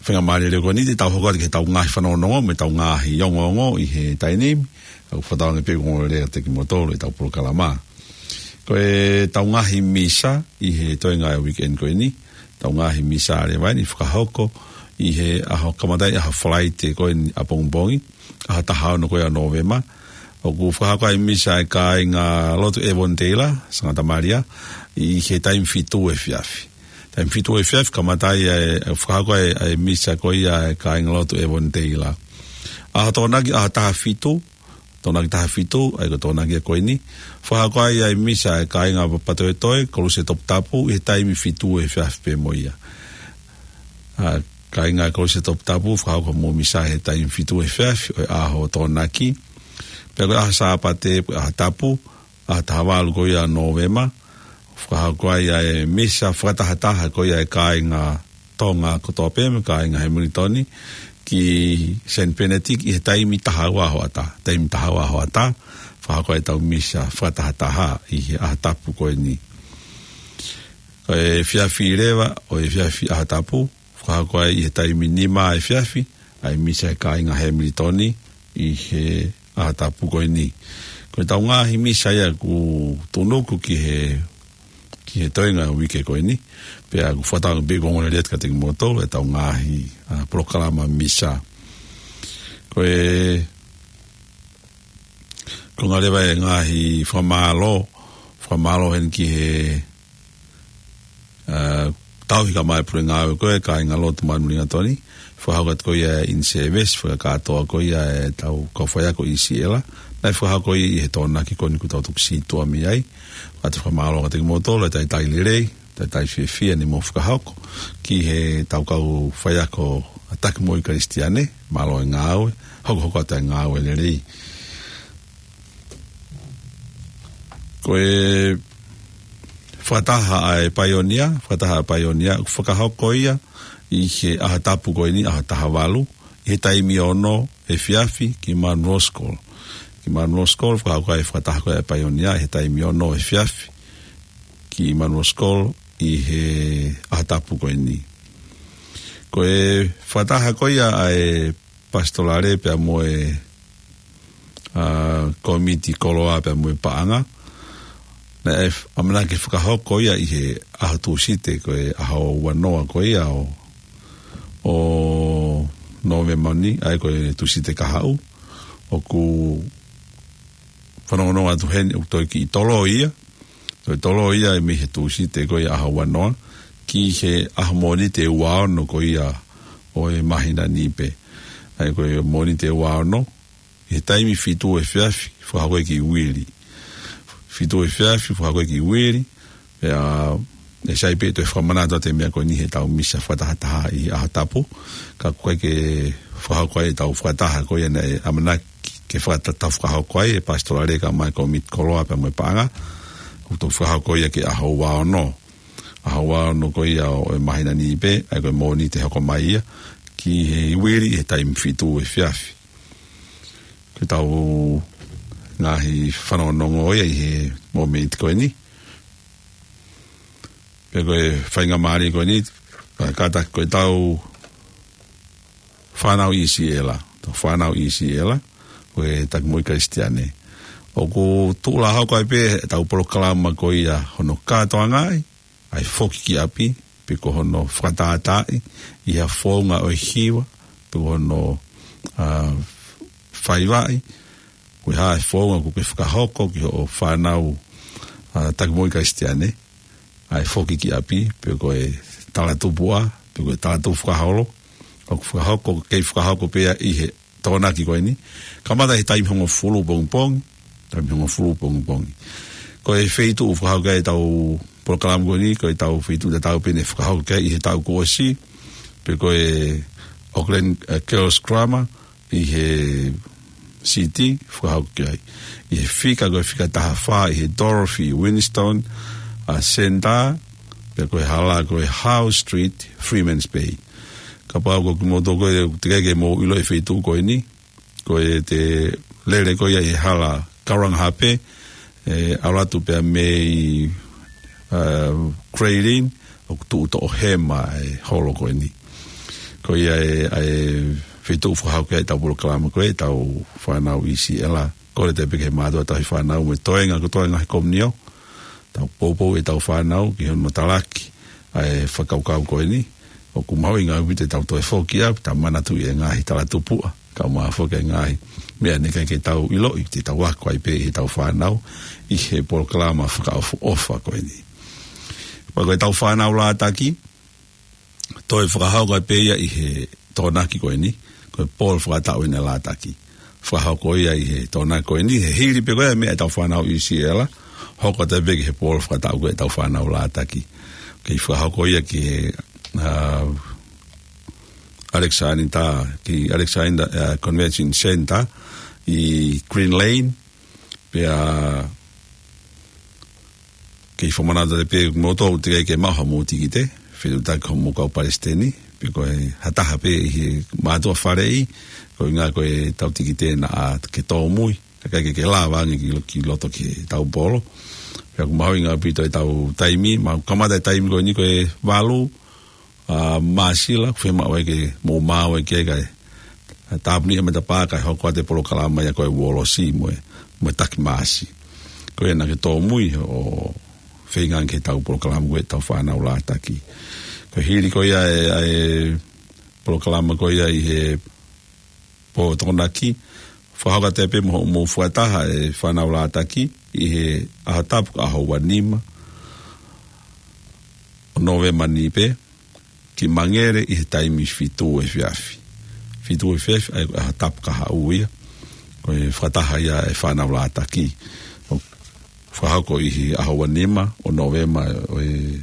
faingamālie lelei ko eni te tau hoko atu ki heʻetau ngaahi fanongonongo mo ʻetau ngaahi ongoongo ʻi he taimi ni, ʻoku ou fakatauange pē ʻoku ongoongolelei atu kiate kimoutolu ʻetau polokalama. Ko ʻetau ngaahi misa ʻi he toenga ʻo e weekend ko eni, ʻetau ngaahi misa leva ʻeni ʻe fakahoko ʻi he ʻaho kamata ʻi he ʻaho Falaite ko eni ʻapongipongi, ʻaho taha ono ko ia ʻo Nōvema. ʻOku fakahoko ai e misa ʻa e kāinga lotu Avondale, Sangata Malia, ʻi he taimi fitu efiafi. Taimi fitu efiafi kamata ai e, e fakahoko ai e misa ko ia ʻa e kāinga lotu Avondale. ʻAho Tokonaki, ʻaho taha fitu, Tokonaki taha fitu, ʻa ia ko e Tokonaki ko eni, fakahoko ai e misa ʻa e kāinga Papatoetoe, Koluse Toputapu, ʻi he taimi fitu efiafi pē mo ia. ʻA e kāinga Koluse Toputapu, fakahoko hoʻomou misa he taimi fitu efiafi ʻo e ʻaho Tokonaki. Pea ko e ʻaho Sāpate, ko e ʻaho Tapu, ʻaho taha valu ko ia ʻo Nōvema, fakahoko ai e misa fakatahataha ko ia ʻa e kāinga Tonga kotoa pē mo e kāinga Hamilton ki Saint Bernard ʻi he taimi taha ua hoʻatā. Taimi taha ua hoʻatā, fakahoko ai ʻetau misa fakatahataha ʻi he ʻaho Tapu ko eni. Ko e efiafi leva ʻo e efiafi ʻaho Tapu, fakahoko ai ʻi he taimi nima efiafi ʻa e misa ʻa e kāinga Hamilton ʻi he ʻaho Tapu ko eni. Ko ʻetau ngaahi misa ia ʻoku tuʻunuku ki he, ki he toenga ʻo e uike ko eni. Pea ʻoku ou fakatauange pē ʻoku ongoongolelei atu kiate kimoutolu ʻetau ngaahi, ʻa, polokalama misa. Ko e, ko e ngaahi leva e ngaahi fakamālō, fakamālō heni ki he, ʻa, tauhi kae ʻumaʻā e pule ngāue ko e kāinga lotu Manulingatoni, fakahoko atu ko ia e in-service, fakakātoa ko ia ʻetau kau faiako ʻi Siela, naʻe fakahoko ia ʻi he Tokonaki ko eni ʻoku tau tuku sītuʻa mei ai. ʻOatu e fakamālō kiate kimoutolu e talitali lelei, talitali fiefia ne mou fakahoko ki heʻetau kau faiako ʻa e Taki Moʻui Kalisitiane, mālō e ngāue, hokohoko atu e ngāue lelei. Ko e fakataha ʻa e paionia, fakataha ʻa e paionia, ʻoku fakahoko ia ʻi he ʻaho Tapu ko eni, ʻaho taha valu, ʻi he taimi ono efiafi ki Munro School. Ki Munro School, fakahoko ai e fakataha ko ia ʻa e paionia, ʻi he taimi ono efiafi ki Munro School, ʻi he ʻaho Tapu ko eni. Ko e fakataha ko ia ʻa e pasitolale pea mo e, ʻa, kōmiti koloa pea mo e paʻanga. Naʻe f-, ʻamanaki ke fakahoko ia ʻi he ʻaho Tūsite ko e ʻaho ua noa ko ia ʻo, ʻo Nōvema ni, ʻa ia ko e Tūsite kahaʻu. ʻOku fanongonongo atu heni ʻoku toe kiʻi tolo ia. Toe tolo ia mei he Tūsite ko ia ʻaho ua noa ki he ʻaho Mōnite ua ono ko ia ʻo e māhina ni pē. ʻA ia ko e Mōnite ua ono, ʻi he taimi fitu efiafi, fakahoko e kiʻi uili. Fitu efiafi, fakahoko e kiʻi uili. Pea, ʻe sai pē toe fakamanatu atu e meʻa ko eni heʻetau misa fakatahataha ʻi he ʻaho Tapu. Ka ʻoku ʻikai ke fakahoko ai ʻetau fakataha ko ia naʻe ʻamanaki ke fakata-, tau fakahoko ai ʻe he pasitolale kae ʻumaʻā e kōmiti koloa pea mo e paʻanga. ʻOku tau fakahoko ia ki he ʻaho ua ono. ʻAho ua ono ko ia ʻo e māhina ni pē, ʻa ia ko e Mōnite hoko mai ia, ki he uili ʻi he taimi fitu efiafi. Ko ʻetau ngaahi fanongonongo ia ʻi he mōmeniti ko eni. Pea ko e faingamālie ko eni, kātaki ko ʻetau fānau ʻi Siela, ʻetau fānau ʻi Siela, ko e Taki Moʻui Kalisitiane. ʻOku tuʻulahau ko ē pē ʻetau polokalama ko ia hono kātoangaʻi, ʻa e foki ki ʻapi, pe ko hono fakatātaaʻi, ʻi ha founga ʻo e hiva, pe ko hono ʻa, faivaʻi, ko e hā e founga ʻoku ke fakahoko ki hoʻo fānau, ʻa, taki moʻui Kalisitiane, ʻa e foki ki ʻapi, pe ko e talatupuʻa, pe ko e talatupu fakaholo, ʻoku fakahoko, kei fakahoko pē ia ʻi he Tokonaki ko eni. Kamata he taimi hongofulu pongipongi, taimi hongofulu pongipongi. Ko e feituʻu fakahoko ai ʻetau polokalama ko eni, ko ʻetau feituʻu tatau pē ne fakahoko ai ʻi he taʻu kuo ʻosi, pe ko e Auckland, eh, Girls Grammar, ʻi he City, fakahoko ai. ʻI he fika, ko e fika taha fā, ʻi he Dorothy Winstone, ʻa, Centre, pe ko e hala, ko e Howe Street, Freeman's Bay. Kapau ko kimoutolu ko ē, teʻeki ke mou ʻilo e feituʻu ko eni, ko e te lele ko ia ʻi he hala Karangahape, ʻe, ʻalu atu pea mei, ʻa, Grayling, ʻoku tuʻu toʻohema e holo ko eni. Ko ia e, ʻa e feituʻu fakahoko ai ʻetau polokalama ko ē, ʻetau fānau ʻi Siela. Kole atu pē ki he mātuʻa tauhi fānau mo e toenga, ko e toenga he komiunitī. Tau poupou ʻetau fānau ki hono talaki ʻa e fakakaukau ko eni. ʻOku mahuʻinga ʻaupito ʻetau toe foki ʻo tau manatuʻi e ngaahi talatupuʻa, kae ʻumaʻā foki e ngaahi meʻa naʻe ʻikai ke tau ʻiloʻi, te tau ako ai pē ʻi heʻetau fānau ʻi he polokalama fakaʻofoʻofa ko eni. Pea ko ʻetau fānau lātaki, toe fakahoko ai pē ia ʻi he Tokonaki ko eni, ko e polo fakataʻu ʻi he lātaki. Fakahoko ia ʻi he Tokonaki ko eni, he hili pē ko ia e meʻa ʻetau fānau ʻi Siela, hoko atu pē ki he polo fakataʻu ko ē ʻetau fānau lātaki. Kei fakahoko ia ki he, ʻa, Alexander, ki Alexander, ʻa, Convention Center ʻi Green Lane, pea kei fakamanatu atu pē kimoutolu teʻeki ke maʻu haʻamou tikite, fetuʻutaki ki hoʻomou kau palesiteni, pe ko e hā taha pē ʻi he mātuʻa faleʻi, koeʻuhinga ko ʻetau tikite naʻa ke tōmui, kae ʻikai ke ke lava ange ki, ki loto ki heʻetau polo. Pea ʻoku mahuʻinga ʻaupito ʻetau taimi, mau kamata e taimi ko eni ko e valu, ʻa, Māsila, ʻoku fiemaʻu ai ke mou maʻu ai ke kai. ʻA, tāpuni e matapā kae hoko atu e polokalama ia ko e uolosi mo e, mo e taki Māsi. Ko ia naʻa ke tōmui ʻo feinga ange ki heʻetau polokalama ko ē ʻetau fānau lātaki. Ko e hili ko ia e, ʻa e polokalama ko ia ʻi he pō Tokonaki, fakahoko atu pē mo hoʻomou fakataha e fānau lātaki ʻi he ʻaho Tapu ko e ʻaho ua nima ʻo Nōvema ni pē, ki Mangere ʻi he taimi fitu efiafi. Fitu efiafi, ʻa e ʻaho Tapu kahaʻu ia. Ko e fakataha ia e fānau lātaki. ʻO fakahoko ʻi he ʻaho ua nima ʻo Nōvema ʻo e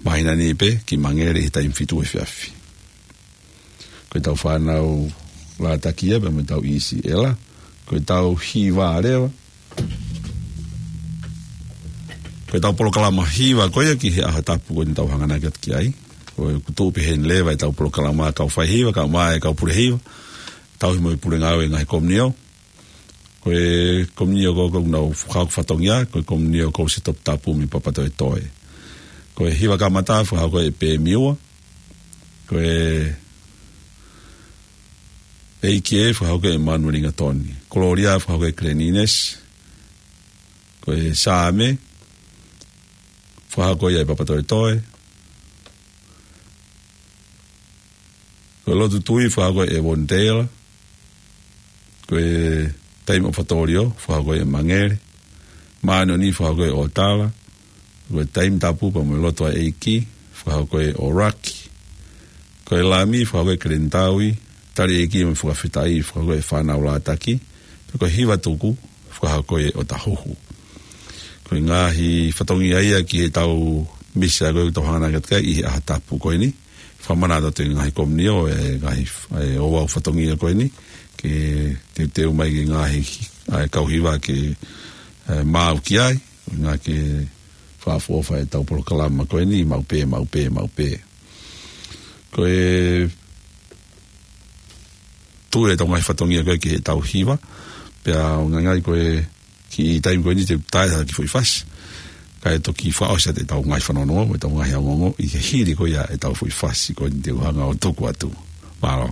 māhina ni pē, ki Mangere ʻi he taimi fitu efiafi. Ko ʻetau fānau lātaki ia, pea mo ʻetau ʻi Siela. Ko ʻetau hiva leva. Ko ʻetau polokalama hiva ko ia ki he ʻaho Tapu ko eni ʻoku tau hanganaki atu ki ai. Ko e kutu pē heni leva ʻetau polokalama kau fai hiva, kau mai, kau pule hiva. Tauhi mo e pule ngāue e ngaahi komiunitī. Ko e komiunitī ko ē ʻoku nau fakahoko fatongia, ko e komiunitī ko Siaosi Toputapu mei Papatoetoe. Ko e hiva kamata fakahoko ʻe Pēmiua. Ko e ʻEiki ē fakahoko ʻe Manuelingatoni. Kolōlia fakahoko ʻe Glenines. Ko e Saame fakahoko ia ʻe Papatoetoe. Ko e Lotu Tui fakahoko ʻe Vonitela. Ko e Taimi ʻOfaʻatā, fakahoko ʻe Mangere. Māʻoniʻoni, fakahoko ʻe ʻOtala. Ko e Taimi Tapu pea mo e Lotu ʻa e ʻEiki, fakahoko ʻe ʻOraki. Ko e Lami, fakahoko ʻe Kalenitāui. Tali ʻEiki mo e Fakafetaʻi, fakahoko ʻe Fānau Lātaki. Pea ko e Hiva Tuku, fakahoko ʻe ʻOtahuhu. Ko e ngaahi fatongia ia ki heʻetau misa ko ē ʻoku tau hanganaki atu ki ai ʻi he ʻaho Tapu ko eni. Fakamanatu atu e ngaahi komiunitī e ngaahi, e ouau fatongia ko eni, ke teuteu mai ki he ngaahi, ʻa e kau hiva ke, e, maʻu ki ai, ngaahi ke fakaʻofoʻofa ʻetau polokalama ko eni, maʻu pē, maʻu pē, maʻu pē. Ko e tuʻu ʻetau ngaahi fatongia ko ē ki heʻetau hiva, pea ʻoku ngali ko e kiʻi taimi ko eni te u tae ha kiʻi foʻi fasi. Kae toki fakaʻosi atu ʻetau ngaahi fanongo, mo ʻetau ngaahi ongoongo, ʻi he hili ko ia ʻetau foʻi fasi ko eni te u hanga ʻo tuku atu. Mālō.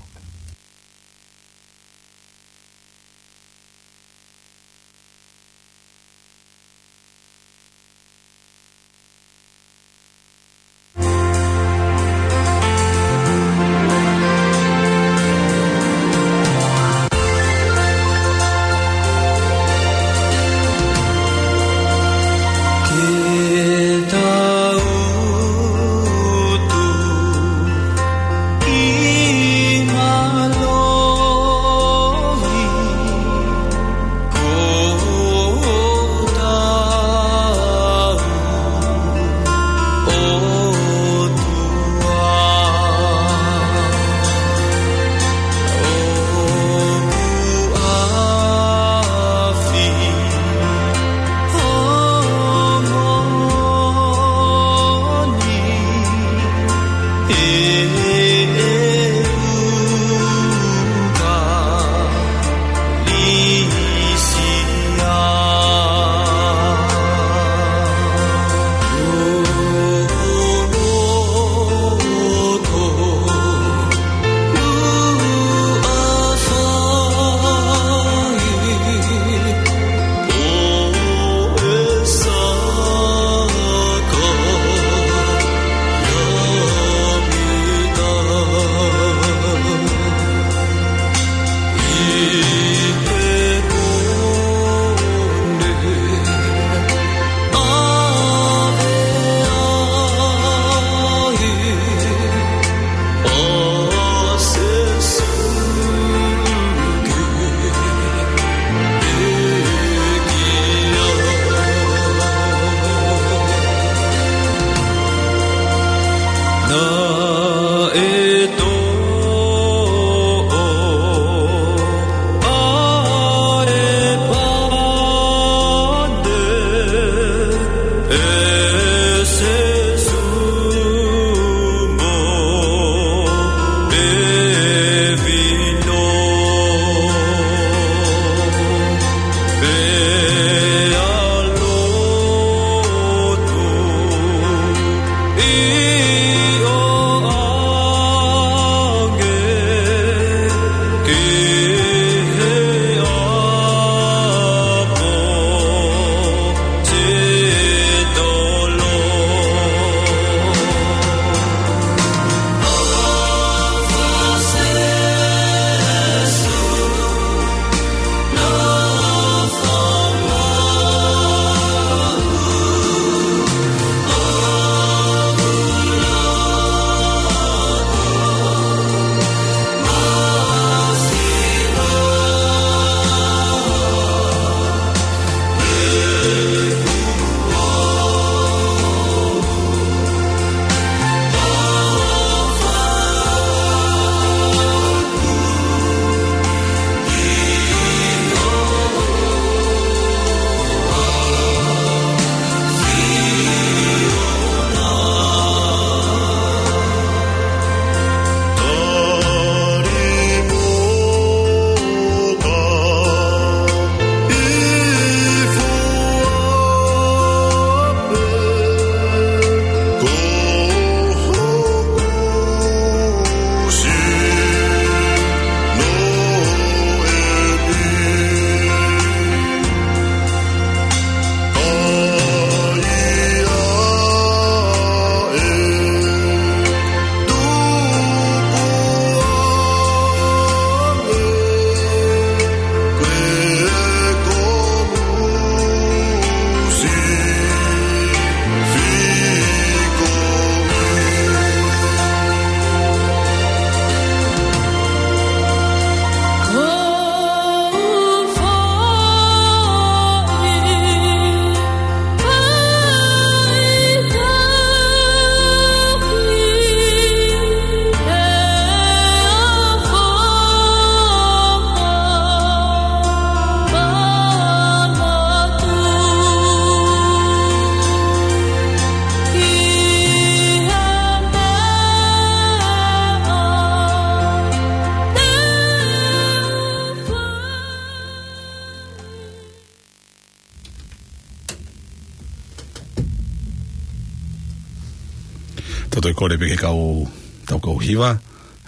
Toe kole pē ki he kau, tau kau hiva,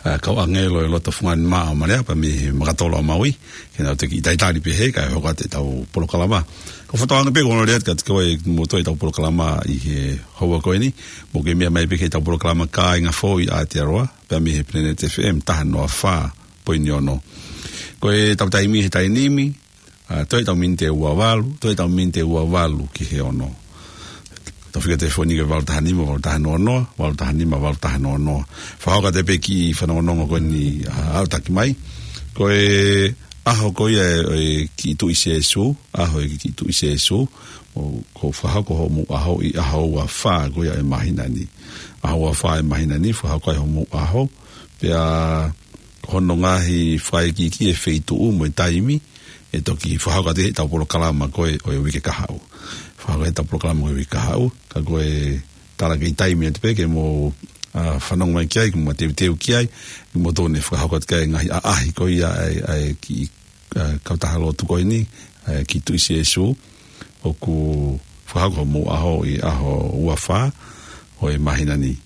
ʻa, kau ʻāngelo ʻi loto Fungani Mā ʻo Malea pea mei he Makatolo ʻa Maui, ke nau toki talitali pē he kae hoko atu ʻetau polokalama. Ko e fakatauange pē ko hono lea atu kiate koe mo toe ʻetau polokalama ʻi he houa ko eni, mou kei meʻa mai pē ki heʻetau polokalama Kāinga Foʻou ʻi Aotearoa, pea mei he Planet F M taha noa fā poini ono. Ko ʻetau taimi he taimi ni, ʻa, toe ʻetau miniti ʻe ua valu, toe ʻetau miniti ʻe ua valu ki he ono. Tau fika telefoni ki he valu taha nima, valu taha noa noa, valu taha nima, valu taha noa noa. Fakahoko atu pē kiʻi fanongonongo ko eni, ʻa, ʻo taki mai. Ko e ʻaho ko ia ʻo e kiʻi Tuʻi Sēsū, ʻaho ʻo e kiʻi Tuʻi Sēsū, ʻoku fakahoko hoʻomou ʻaho ʻi he ʻaho ua fā ko ia ʻo e māhina ni. ʻAho ua fā ʻo e māhina ni, fakahoko ai hoʻomou ʻaho, pea ko hono ngaahi fakaikiiki e feituʻu mo e taimi, ʻe toki fakahoko atu heʻetau polokalama ko ē ʻo e uike kahaʻu. Fakahoko heʻetau polokalama ko ē uike kahaʻu, ka ko e tala kei taimi atu pē ke mou, ʻa, fanongo mai ki ai, ke mou teuteu ki ai, ke mou tonu ʻe fakahoko atu ki ai e ngaahi ʻaʻahi ko ia ʻa e, ʻa e kiʻi, ʻa, kautaha lotu ko eni, ʻa e kiʻi Tuʻi Sēsū, ʻoku fakahoko hoʻomou ʻaho ʻi he ʻaho ua fā ʻo e māhina ni.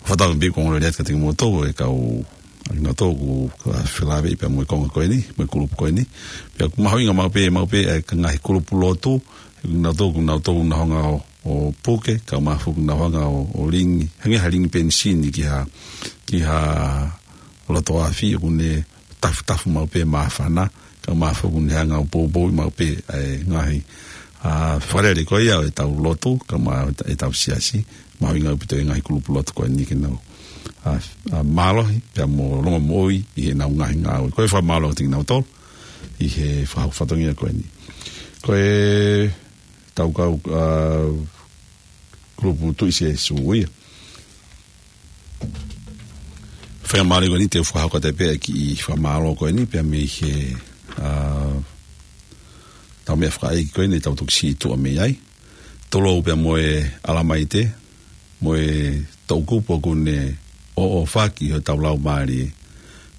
Fakatauange pē ko hono lea atu kiate kimoutolu e kau, ʻa kinautolu ʻoku felāveʻi pea mo e konga ko eni, mo e kulupu ko eni. Pea ʻoku mahuʻinga maʻu pē, maʻu pē ʻa e ngaahi kulupu lotu, ʻa kinautolu, kinautolu ʻoku nau hanga ʻo, ʻo puke, kae ʻumaʻā foki ʻoku nau hanga ʻo, ʻo lingi, hangē ha lingi penisini ki ha, ki ha loto afi, ʻoku ne tafutafu maʻu pē māfana, kae ʻumaʻā foki ʻoku ne hanga ʻo poupouʻi maʻu pē ʻa e ngaahi, ʻa, fakalele ko ia ʻo ʻetau lotu, kae ʻumaʻā ʻetau siasi, mahuʻinga ʻaupito e ngaahi kulupu lotu ko eni ke nau, ʻa, ʻa, mālohi, pea mo longomoʻui ʻi heʻenau ngaahi ngāue. Ko e fakamālō atu kiate kinautolu, ʻi he fakahoko fatongia ko eni. Ko ʻetau kau, ʻa, kulupu Tuʻi Sēsū ia. Faingamālie ko eni te u fakahoko atu pē ʻa e kiʻi fakamālō ko eni, pea mei he, ʻa, ʻetau meʻafakaʻeiki ko eni, ʻetau toki siʻi tuʻa mei ai. Tulou pea mo e ʻAlamaite, mo e toʻukupu ʻoku ne ʻoʻofaki hotau laumālie.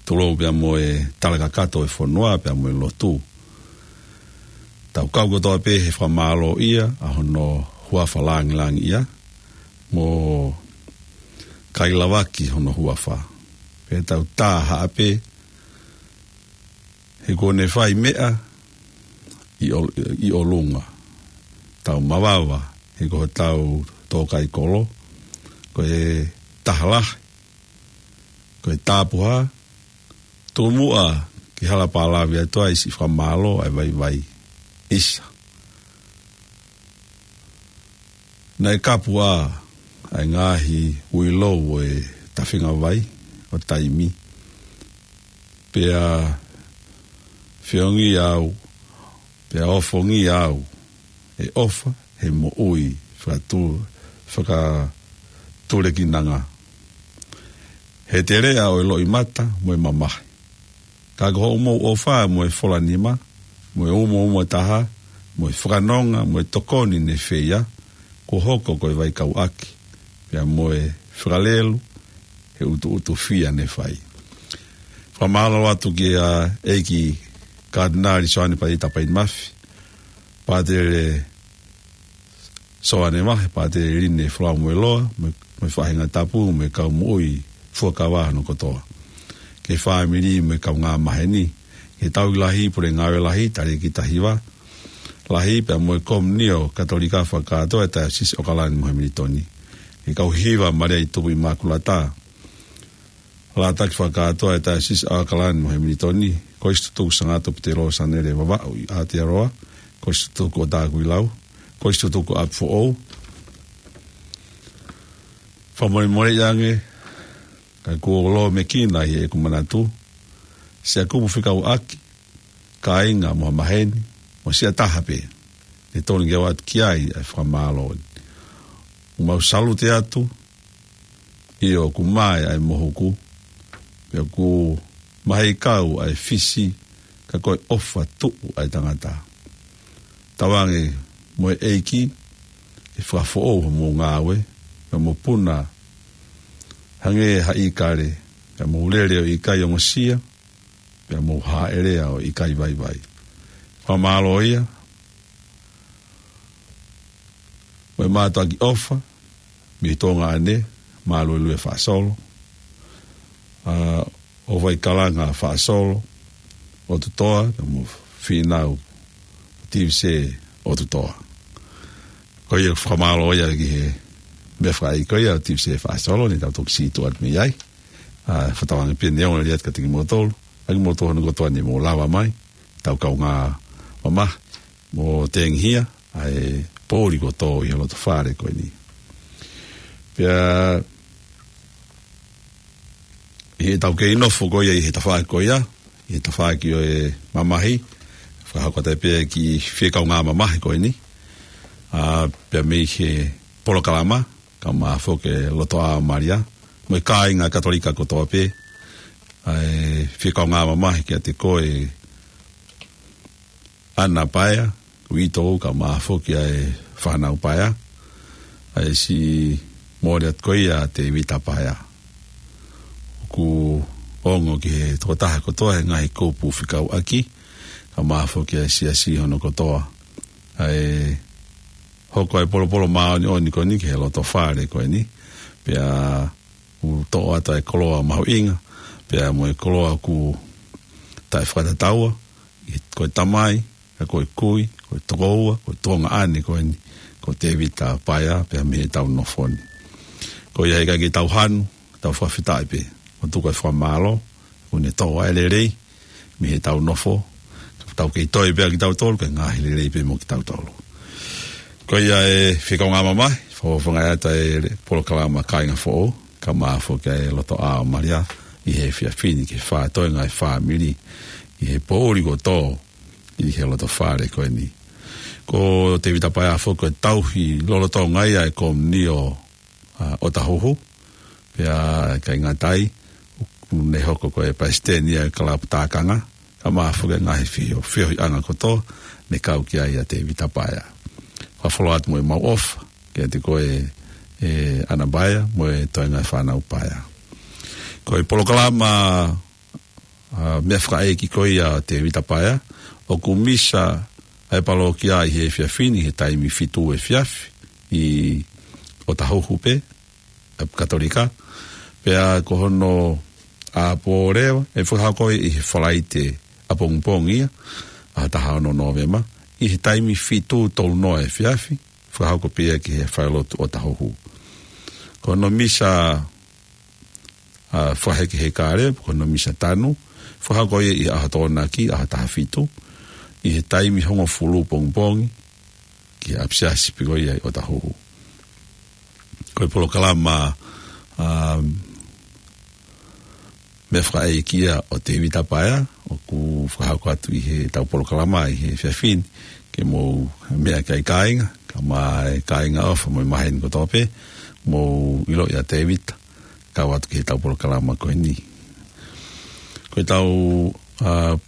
Tulou pea mo e talakakato ʻo e fonua pea mo e lotu. Tau kau kotoa pē he fakamālōʻia ʻa hono huafa lāngilangiʻia, mo kai lavaki hono huafa. Pea tau tā haʻa pē, he kuo ne fai meʻa ʻi ʻo-, ʻi ʻolunga. Tau mavava, he ko hotau tōkaikolo, ko e taha lahi, ko e tapuhā, tuku muʻa ki hala pālavi atu ai siʻi fakamālō ʻa e vaivai. ʻIsa. Naʻe kapu ʻa, ʻa e ngaahi uilou ʻo e tafinga vai ʻo taimi. Pea feʻunga au, pea ofongi au, ʻe ʻofa, he moʻui, fakatu-, fakatulekinanga. He teleʻa ʻo e loʻimata, mo e mamahi. Ka ko hoʻomou ʻofa mo e fola nima, mo e umouma taha, mo e fakanonga, mo e tokoni ne feia, kuo hoko ko e vaikauʻaki, pea mo e fakalelu, he ʻutuʻutu fia ne fai. Fakamālō atu kia ʻEiki Katinali Soane Paita Painimafi, Pātele Soane Vahe, Pātele Line Folau Moeloa, mo e, mo e faʻahinga tapu, mo e kau moʻui fuakava hono kotoa. Ki he fāmili mo e kaungā maheni, ki he Tauhi Lahi, Pule Ngāue Lahi, Talēkita Hiva Lahi, pea mo e Komiunio Katolika fakakātoa ʻa e Taiosisi ʻo ʻOkalani mo Hemilitoni. Ki he kau hiva Malia ʻi Tupu ʻImakulata, Lātaki fakakātoa ʻa e Taiosisi ʻo ʻOkalani mo Hemilitoni, Kolisi Tutuku Sangato Petelō Sanele Vavaʻu ʻi Aotearoa, Kolisi Tutuku ʻo Takuilau, Kolisi Tutuku ʻApifoʻou. Fakamolemole ange, ka kuo lōmekina ʻi heʻeku manatu, siʻa kupu fekauʻaki, kāinga mo ha maheni, mo siʻa taha pē, ʻe tonu ke ʻoatu ki ai ʻa e fakamālō. ʻOku mau salute atu, ʻio ʻoku mae ʻa e mohuku, pea ʻoku maheikau ʻa e fisi, ka ko e ʻofa tuʻu ʻa e tangata. Tauange mo e ʻEiki, ʻe fakafoʻou hoʻomou ngāue, pea mou puna, hangē ha ʻīkale, pea mou lele ʻo ʻikai ongosia, pea mou hāʻele ʻo ʻikai vaivai. Fakamālō ia, mo e mātuʻaki ʻofa, mei Tonga ʻanē, Māluelue Faʻasolo, ʻa ʻOvaikalanga Faʻasolo ʻOtutoa, pea mo Fīnau Tivise ʻOtutoa. Ko ia fakamālō ia ki he meʻa fakaʻeiki ko ia ʻo Tivise Faʻasolo, ne tau toki sītuʻa atu mei ai. ʻA, fakatauange pē ʻe ongo lelei atu kiate kimoutolu, ʻa kimoutolu hono kotoa ne mou lava mai, tau kaungā mamahi mo tengihia ʻa e poʻuli kuo tō ʻi he loto fale ko eni. Pea ʻi heʻetau kei nofo ko ia ʻi he tafaʻaki ko ia, ʻi he tafaʻaki ʻo e mamahi, fakahoko atu pē kiʻi fie kaungā mamahi ko eni. ʻA, pea mei he polokalama, kae ʻumaʻā foki e Lotoʻā ʻo Malia, mo e kāinga Katolika kotoa pē, ʻa e fie kaungā mamahi kiate koe ʻAna Paea, Uitou, kae ʻumaʻā foki ʻa e fānau Paea, ʻa e siʻi mole atu ko ia ʻa Tevita Paea. ʻOku ongo ki he tokotaha kotoa he ngaahi kupu fekauʻaki, kae ʻumaʻā foki ʻa e siasi hono kotoa, ʻa e hoko ʻa e polopolo māʻoniʻoni ko eni ki he loto fale ko eni, pea ʻoku toʻo atu ʻa e koloa mahuʻinga, pea mo e koloa ʻoku taʻefakatataua, ʻi he, ko e tamai, ka ko e kui, ko e tokoua, ko e tuongaʻane ko eni, ko Tevita Paea, pea mei heʻetau nofo ni. Ko ia he ʻikai ke tau hanu, tau fakafetaʻi pē, ʻo tuku ʻa e fakamālō, ʻoku ne toʻo ʻa e lelei mei heʻetau nofo, tau kei toe pē ʻa kitautolu, ke ngaahi lelei pē mo kitautolu. Ko ia e fie kaungā mamahi, fakafofongaʻi atu ʻa e polokalama Kāinga Foʻou, kae ʻumaʻā foki ʻa e Lotoʻā ʻo Malia, ʻi he efiafi ni ki he fā toenga ʻo e fāmili, ʻi he poʻuli kuo tō ʻi he loto fale ko eni. Ko Tevita Paea foki ko e tauhi lolotonga ia ʻa e Komiunio ʻa ʻOtahuhu, pea ʻikai ngata ai, ʻoku ne hoko ko e palesiteni ia ʻo e kalapu tākanga, kae ʻumaʻā foki ʻa e ngaahi feohi, feohiʻanga kotoa, ne kau ki ai ʻa Tevita Paea. Fakafola atu mo ʻemau ʻofa kiate koe, ʻe ʻAna Paea, mo e toenga ʻo e fānau Paea. Ko e polokalama ʻa, meʻa fakaʻeiki ko ia ʻo Tevita Paea, ʻoku misa ʻa e palōkia ʻi he efiafi ni, he taimi fitu efiafi, ʻi ʻOtahuhu pē, ʻa Katolika, pea ko hono ʻapō leva, ʻe fakahoko ʻi he Falaite ʻapongipongi ia, ʻaho taha ono Nōvema, ʻi he taimi fitu tolu noa efiafi, fakahoko pē ia ki he falelotu ʻOtahuhu. Ko hono misa ʻa, fakahekeheka leva, ko hono misa tanu, fakahoko ia ʻi he ʻaho Tokonaki, ʻaho taha fitu, ʻi he taimi hongofulu pongipongi, ki he ʻapisiasi pē ko ia ʻi ʻOtahuhu. Ko e polokalama, ʻa, meʻa fakaʻeiki ia ʻo Tevita Paea, ʻoku fakahoko atu ʻi heʻetau polokalama ʻi he efiafi ni, ke mou meʻa ki ai kāinga, kae ʻumaʻā e kāinga ʻofa mo e maheni kotoa pē, mou ʻiloʻi ʻa Tevita, kau atu ki heʻetau polokalama ko eni. Ko ʻetau, ʻa,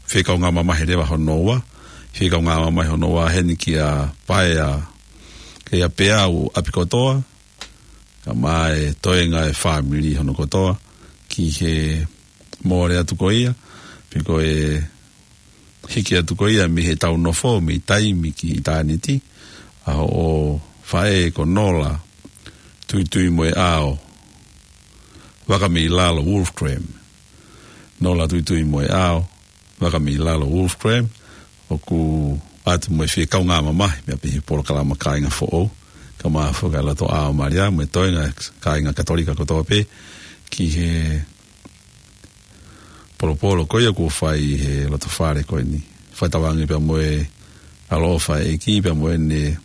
fie kaungā mamahi leva hono ua, fie kaungā mamahi hono ua heni kia Paea, kia Peau ʻApikotoa, kae ʻumaʻā e toenga ʻo e fāmili hono kotoa, ki he mole atu ko ia, pe ko e hiki atu ko ia mei heʻetau nofo, mei taimi ki ʻitāniti, ʻa hoʻo faʻē ko Nola Tuituimoeʻao Vakameilalo Wolfgram. Nola Tuituimoeʻao Vakameilalo Wolfgram, ʻoku ʻoatu mo e fie kaungā mamahi, meʻa pē he polokalama Kāinga Foʻou, kae ʻumaʻā foki ʻa e Lotoʻā ʻo Malia, mo e toenga kāinga Katolika kotoa pē, ki he polopolo ko ia kuo fai ʻi he loto fale ko eni. Fakatauange pea mo e ʻaloʻofa ʻa e ʻEiki pea mo ʻene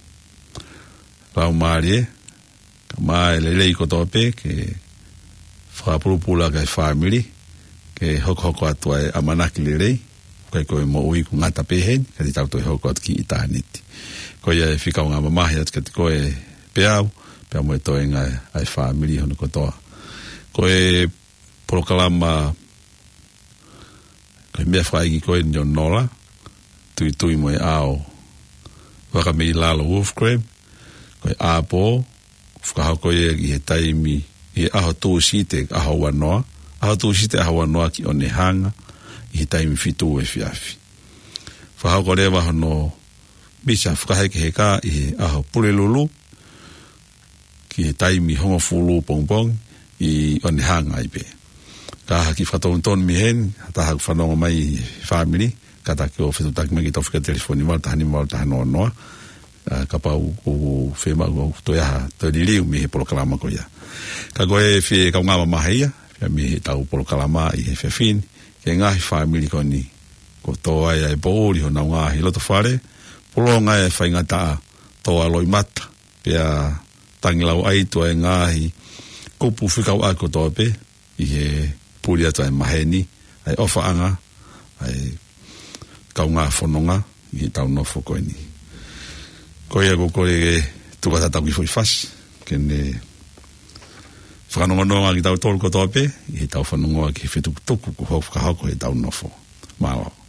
laumālie, kae ʻumaʻā e lelei kotoa pē, ke fakapulupulu ʻaki ʻa e fāmili, ke hokohoko atu ʻa e ʻamanaki lelei, ʻikai ko e moʻui ʻoku ngata pē heni, ka te tau toe hoko atu ki ʻitāniti. Ko ia e fie kaungā mamahi atu kiate koe Peau, pea mo e toenga ʻa e fāmili hono kotoa. Ko e polokalama, ko e meʻa fakaʻeiki ko eni ʻo Nola Tuituimoeʻao Vakameilalo Wolfgram, ko e ʻapō, fakahoko ia ʻi he taimi, ʻi he ʻaho Tūsite, ʻaho ua noa, ʻaho Tūsite, ʻaho ua noa ki Onehunga, ʻi he taimi fitu efiafi. Fakahoko leva hono misa fakahekeheka ʻi he ʻaho Pulelulu, ki he taimi hongofulu pongipongi ʻi ʻOnehanga ai pē. Ka ha kiʻi fakatonutonu mei heni, ha taha ʻoku fanongo mai he fāmili, kātaki ʻo fetuʻutaki mai ki he tau fika telefoni valu taha nima valu taha noa noa, ʻa, kapau ʻoku fiemaʻu ʻo toe ʻai ha toe liliu mei he polokalama ko ia. Ka ko e fie kaungā mamahi ia, fie mei he tau polokalama ʻi he efiafi ni, ki he ngaahi fāmili ko eni, kuo tō ai ʻa e poʻuli honau ngaahi loto fale, pulonga e faingataʻa, tō ʻa loʻimata, pea tangilauʻaitū ʻa e ngaahi kupu fekauʻaki kotoa pē, ʻi he puli atu ʻa e maheni, ʻa e ʻofaʻanga, ʻa e kaungā fononga, ʻi he tau nofo ko eni. Ko ia ko e kole ke tuku atu ʻetau kiʻi foʻi fasi, ke ne fakanongonongo kitautolu kotoa pē, ʻi he tau fanongo ki he fetukutuku, kuo hoko fakahoko he tau nofo. Mālō.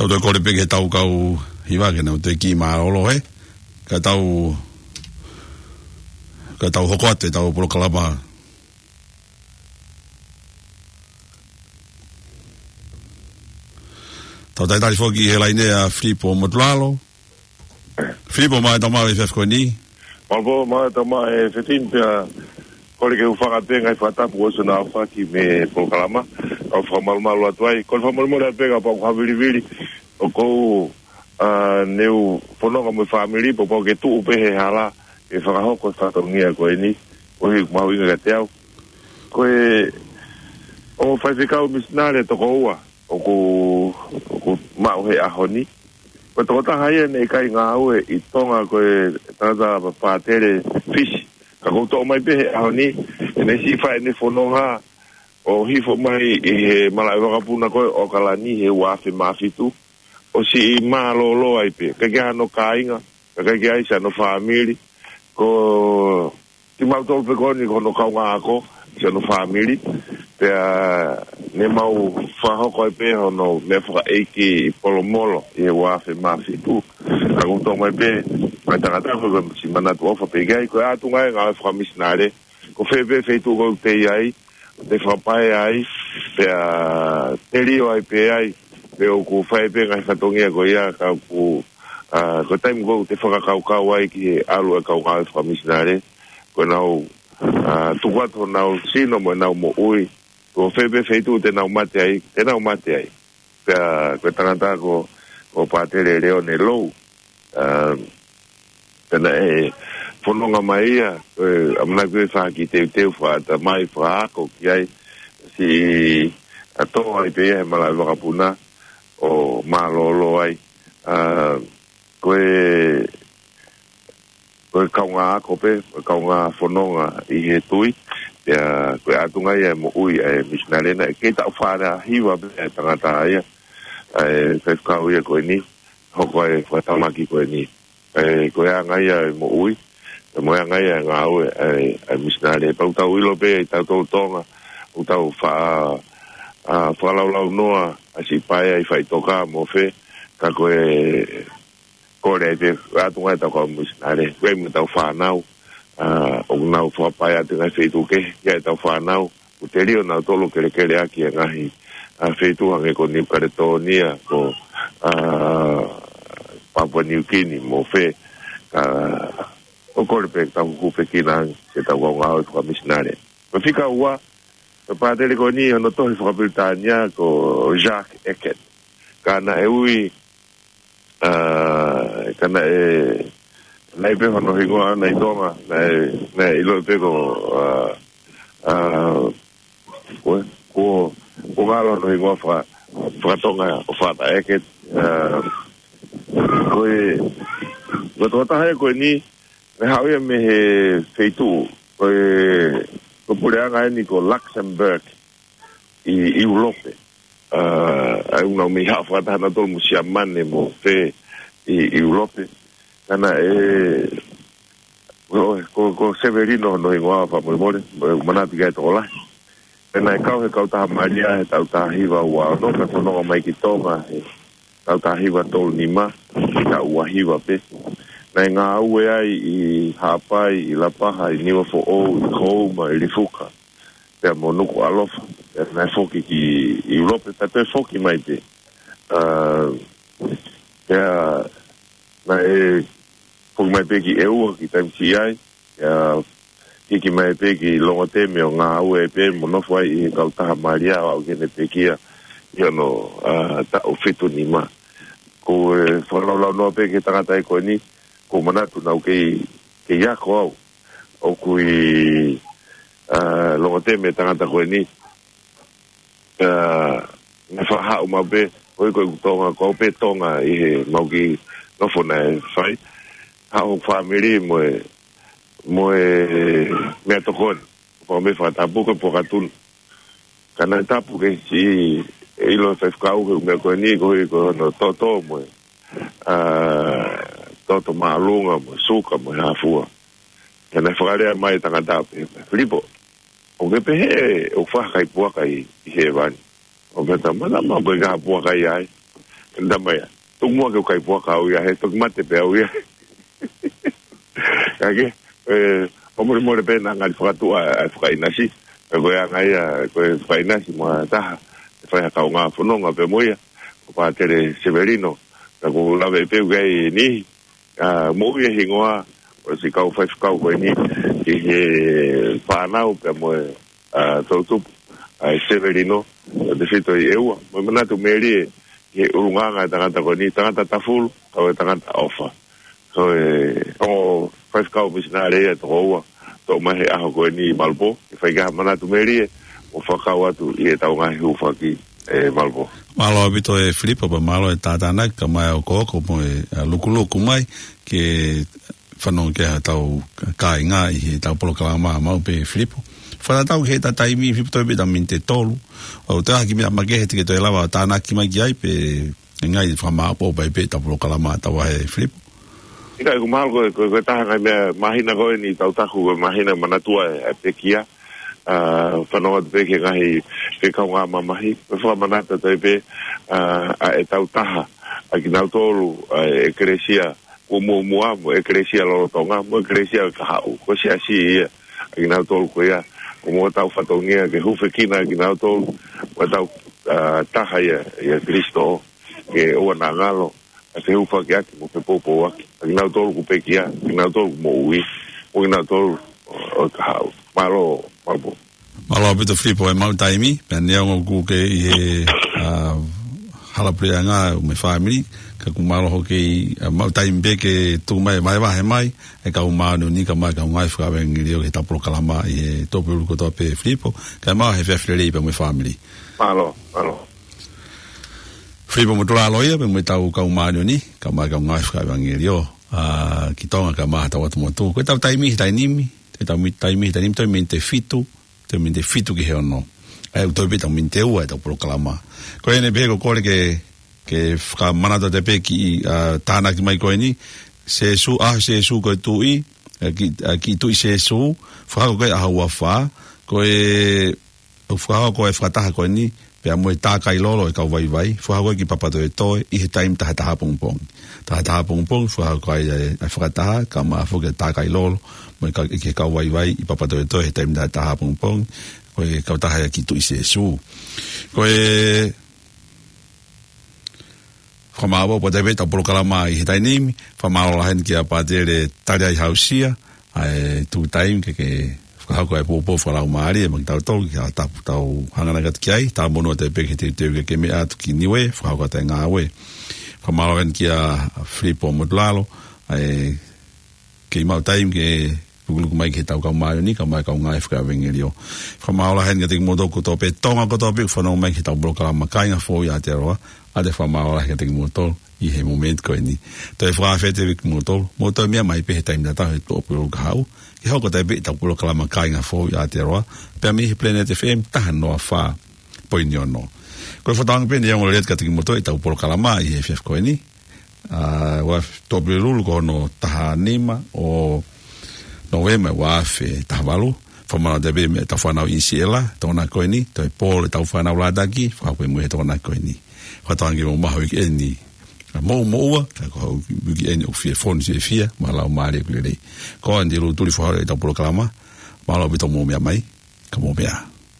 Tau toe kole pē ki he tau kau hiva ke nau toe kiʻi mālōlō he. Ka tau, ka tau hoko atu ʻetau polokalama. Tau talitali foki he laine ʻa Filipo Motulalo. Filipo, mālō e tau maʻu e efiafi ko eni. Mālō, mālō e tau maʻu e efiafi ni pea kole ke u hūfanga pē he ngaahi fakatapu ʻoku ʻosi hono aofaki mei he polokalama. Kau fakamalumalu atu ai. Kole fakamolemole pē kapau ʻoku ou havilivili. ʻOku ou ʻa, ne u fononga mo e fāmili, pea pau ke tuʻu pē he hala, ke fakahoko e fatongia ko eni, ʻoku mahuʻinga kiate au. Ko e, ʻo faifekau misinale toko ua, ʻoku, ʻoku maʻu he ʻaho ni. Ko e tokotaha ia naʻe ʻikai ngāue ʻi Tonga ko e tangata pātele Fisi. Ka ʻoku toʻo mai pē he ʻaho ni, ʻene siʻi fai ʻene fononga, ʻo hifo mai ʻi he malaʻe vakapuna ko ē ʻOkalani he ua afe mā fitu, ʻo siʻi mālōlō ai pē. ʻIkai ke ʻi ai hano kāinga, ʻikai ke ʻi ai siʻano fāmili, ko kimautolu pē ko eni ko hono kaungāako, siʻano fāmili, pea ne mau fakahoko ai pē hono meʻa fakaʻeiki ʻi Polomolo, ʻi he ua afe mā fitu. Ka ʻoku toʻo mai pē, mai tangata ko e siʻi manatu ʻofa pē ki ai, ko e ʻatunga e ngāue fakamisinale, ko fē pē feituʻu ʻoku te ʻi ai, te fakapae ai, pea telio ai pē ai, pea ʻoku fai pē ngaahi fatongia ko ia, ka ʻoku, ʻa, ko e taimi ʻoku te fakakaukau ai ki he ʻalu e kau ngāue fakamisinale, ko ʻenau, ʻa, tuku atu honau sino mo ʻenau moʻui, ko fē pē feituʻu te nau mate ai, te nau mate ai. Pea ko e tangata ko, ko Pātele Leone Lou, ʻa, pea naʻe fononga mai ia, ko e ʻamanaki ʻe fai ha kiʻi teuteu fakaʻatamai fakaako ki ai, siʻi ʻa, toʻo ai pē ia he malaʻe vakapuna ʻo mālōlō ai. ʻA, ko e, ko e kaungāako pē, ko e kaungā fononga ʻi he tui, pea ko e ʻatunga ia e moʻui e misinale na, kei taʻu fā hiva pē e tangata ia, ʻa e faifekau ia ko eni, hoko e fakatamaki ko eni. ʻE, ko e anga ia e moʻui, ʻe mo e anga ia e ngāue, ʻe, ʻe misinale. Pea ʻoku tau ʻilo pē, ʻi tautolu Tonga, ʻoku tau fa-, ʻa, fakalaulaunoa, ʻa siʻi paea ʻi faʻitoka mo fē, ka ko e, kole ai pē, ʻatunga e tau kau misinale, ko e mo tau fānau, ʻa, ʻoku nau fakapae atu ngaahi feituʻu kehe, ʻi ai e tau fānau, ʻoku telio nautolu kelekele ʻaki e ngaahi, ʻa, feituʻu hangē ko Niu Kaletonia, ko, ʻa, Papua Niu Kini, mo fē, ka, ʻoku kole pē tau hūfekina ange, siʻetau kau ngāue fakamisinale. Ko e fika ua, ko e pātele ko eni hono tohi fakapilitānia ko Jacques Eckert. Ka naʻe ui, ʻa, ka naʻe, naʻe pē hono hingoa ʻana ʻi Tonga, naʻe, naʻe ʻilo pē ko, ʻa, ʻa, ko, ko, ko ngalo hono hingoa faka-, fakatonga ʻo Father Eckert, ʻa, ko e, ko e tokotaha ia ko eni, naʻe haʻu ia mei he feituʻu, ko e, ko e puleʻanga eni ko Luxembourg, ʻi, ʻi ʻIulope. ʻA, ʻa ia ʻoku nau meimei haʻu fakataha nautolu mo Siamane mo fē ʻi, ʻi ʻIulope. Ka naʻe, ko, ko, ko Sevelino hono hingoa fakamolemole, mo e manatu ki ai tokolahi. Pea naʻe kau he kautaha Malia he taʻu taha hiva ua ono, pea fononga mai ki Tonga he taʻu taha hiva tolu nima, ki he taʻu ua hiva pē. Naʻe ngāue ai ʻi Haʻapai, ʻi Lapaha, ʻi Niuafoʻou, ʻi Houma, ʻi Lifuka, pea mo Nukuʻalofa, pea naʻe foki ki ʻIulope, pea toe foki mai pē. ʻA, pea naʻe foki mai pē ki ʻEua, ki taimi siʻi ai, pea hiki mai pē ki Longoteme ʻo ngāue pē mo nofo ai ʻi he kautaha Malia ʻo aʻu ki heʻene pekia ʻi hono, ʻa, taʻu fitu nima. Ko e fakalaulaunoa pē ki he tangata ia ko eni, ʻoku ou manatu naʻa ku kei, kei ako au. ʻOku ʻi, ʻa, Longoteme e tangata ko eni. ʻA, naʻe faʻa haʻu maʻu pē, ʻoku ʻikai ko ʻeku Tonga, ko au pē Tonga ʻi he mau kiʻi nofo naʻe fai. Haʻu hoku fāmili mo e, mo e meʻatokoni. Fakameʻa fakatapu ko e puaka tuna. Ka naʻe tapu ke siʻi ʻilo e faifekau he meʻa ko eni, ko e, ko hono toto mo e, ʻa, toto māʻolunga mo e suka mo e hāfua. Ka naʻe fakalea mai e tangata pē, Filipo, ʻoku ke pehē ʻoku fai ha kai puaka ʻi, ʻi hēvani? ʻOku ke tama, tama, ko e ngaahi puaka ia ai. Tama ia. Tuku muʻa ke u kai puaka au ia, he toki mate pē au ia. Ka ke, ʻe, ʻoku molemole pē naʻa ngali fakatuʻa e fakaʻinasi. Ko e anga ia, ko e fakaʻinasi mo ha taha, ʻe fai ha kaungā fononga pē mo ia, ko Pātele Sevelino. Ka ʻoku ou lave pē ʻoku ʻi ai e niʻihi, ʻa, moʻui e hingoa ʻo e siʻi kau faifekau ko eni, ʻi he fānau pea mo e, ʻa, toʻutupu, ʻa, ʻa Sevelino, ʻo tefito ʻi ʻEua. Mo e manatu melie, ki he ʻulungaanga e tangata ko eni, tangata tafulu, kau e tangata ʻofa. Ko e ongo faifekau misinale ia ʻe toko ua, toʻo mai he ʻaho ko eni ʻi Malupo, ke fai ki ha manatu melie, mo fakakau atu ʻi heʻetau ngaahi hūfaki ʻi Malupo. Mālō ʻaupito ʻe Filipo, pea mālō e tātānaki, kae ʻumaʻā e okooko mo e, ʻa, lukuluku mai, ke fanongo ki ai hotau kāinga ʻi heʻetau polokalama maʻu pē Filipo. Fakatatau ki heʻeta taimi Filipo, toe pē ʻeta miniti ʻe tolu. ʻOku toe ʻi ai ha kiʻi meʻa makehe te ke toe lava ʻo tānaki mai ki ai pe ʻikai fakamāʻopoʻopo pē ʻetau polokalama ʻi he taimi ni Filipo. ʻIkai, ʻoku mahalo ko e, ko e, ko e taha e ngaahi meʻa māhina ko eni ʻoku tau taku ko e māhina manatua e, e pekia. ʻA, fanongo atu pē ki he ngaahi, ki he kaungā mamahi. Ko e fakamanatu atu pē, ʻa, ʻa ʻetau taha, ʻa kinautolu, ʻa e ʻekelesia kuo muʻomuʻa mo e ʻekelesia lolotonga, mo e ʻekelesia kahaʻu. Ko e siasi ia, ʻa kinautolu ko ia, ʻoku mo tau fatongia ke hūfekina ʻa kinautolu, mo tau, ʻa, taha ia, ʻia Kalaisi, ke ʻoua naʻa ngalo, ʻa e fehūfakiʻaki mo e fepoupouaki, ʻa kinautolu ʻoku pekia, kinautolu ʻoku moʻui, mo kinautolu ʻo, ʻo e kahaʻu. Mālō, Malupo. Mālō ʻaupito Filipo e maʻu taimi, pea neongo ʻoku ke ʻi he, ʻa, hala puleʻanga mo e fāmili, ka ʻoku mālō hoʻo kei, ʻa, maʻu taimi pē ke tuku mai, vahevahe mai e kau māʻoniʻoni kae ʻumaʻā e kau ngāue fakaʻevangeliō ki heʻetau polokalama ʻi he Tuʻapulelulu kotoa pē Filipo, kae ʻumaʻā e efiafi lelei pea mo e fāmili. Mālō, mālō. Filipo Motulalo ia, pea mo ʻetau kau māʻoniʻoni, kae ʻumaʻā e kau ngāue fakaʻevangeliō, ʻa, ki Tonga kae ʻumaʻā hotau ʻotu motu. Ko ʻetau taimi he taimi ni, ʻetau mi-, taimi he taimi ni, toe miniti ʻe fitu, toe miniti ʻe fitu ki he ono. ʻA ia ʻoku toe pē ʻetau miniti ʻe ua ʻetau polokalama. Ko eni pē ko e kole ke, ke fakamanatu atu pē ki, ʻa, tānaki mai ko eni, Sēsū, ʻa, Sēsū ko e tuʻi, ʻa, ki, ʻa, kiʻi tuʻi Sēsū, fakahoko ko e ʻaho ua fā, ko e ʻoku fakahoko e fakataha ko eni, pea mo e tākai lolo e kau vaivai, fakahoko ʻi Papatoetoe, ʻi he taimi taha taha pongipongi. Taha taha pongipongi, fakahoko ai e, e fakataha, kae ʻumaʻā foki e tākai lolo, mo e ka-, ki he kau vaivai ʻi Papatoetoe, he taimi taha taha pongipongi, ko e kautaha ia kiʻi tuʻi Sēsū. Ko e, fakamālō ʻaupito pē ʻetau polokalama ʻi he taimi ni, fakamālō lahi heni kia Pātele Taliai Hausia, ʻa e tuku taimi ke, ke fakahoko e poupou fakalaumālie maʻa kitautolu ki ha tapu tau hanganaki atu ki ai, tau monū atu pē ki he teuteu ke ke meʻa atu ki Niue, fakahoko atu e ngāue. Fakamālō heni kia Filipo Motulalo, ʻa e kei maʻu taimi ke lukuluku mai ki heʻetau kau māʻoniʻoni, kae ʻumaʻā e kau ngāue fakaʻevangeliō. Fakamālō lahi heni kiate kimoutolu kotoa pē, Tonga kotoa pē, ʻoku fanongo mai ki heʻetau polokalama Kāinga Foʻou ʻi Aotearoa, ʻa e fakamālō lahi kiate kimoutolu ʻi he momeniti ko eni. Toe fakafetaʻi kimoutolu, mou toe meʻa mai pē he taimi tatau he Tuʻapulelulu kahaʻu, ke hoko atu pē ʻetau polokalama Kāinga Foʻou ʻi Aotearoa, pea mei he Planet F M taha noa fā poini ono. Ko e fakatauange pē neongo lelei atu kiate kimoutolu ʻetau polokalama ʻi he efiafi ko eni, ʻa, ua Tuʻapulelulu ko hono taha nima ʻo Nōvema ua afe taha valu, fakamālō atu pē mei heʻetau fānau ʻi Siela, Tokonaki ko eni, toe pole ʻetau fānau Lātaki, fakapē mo e Tokonaki ko eni. Fakatauange mou maʻu ha uikeʻeni moʻumoʻua, ka ko ha uikeʻeni ʻoku fie fonu fiefia, mo e laumālie ʻoku lelei. Ko eni ʻa e lūtuli foʻou ʻetau polokalama, mālō ʻaupito hoʻomou meʻa mai, ka mou meʻa.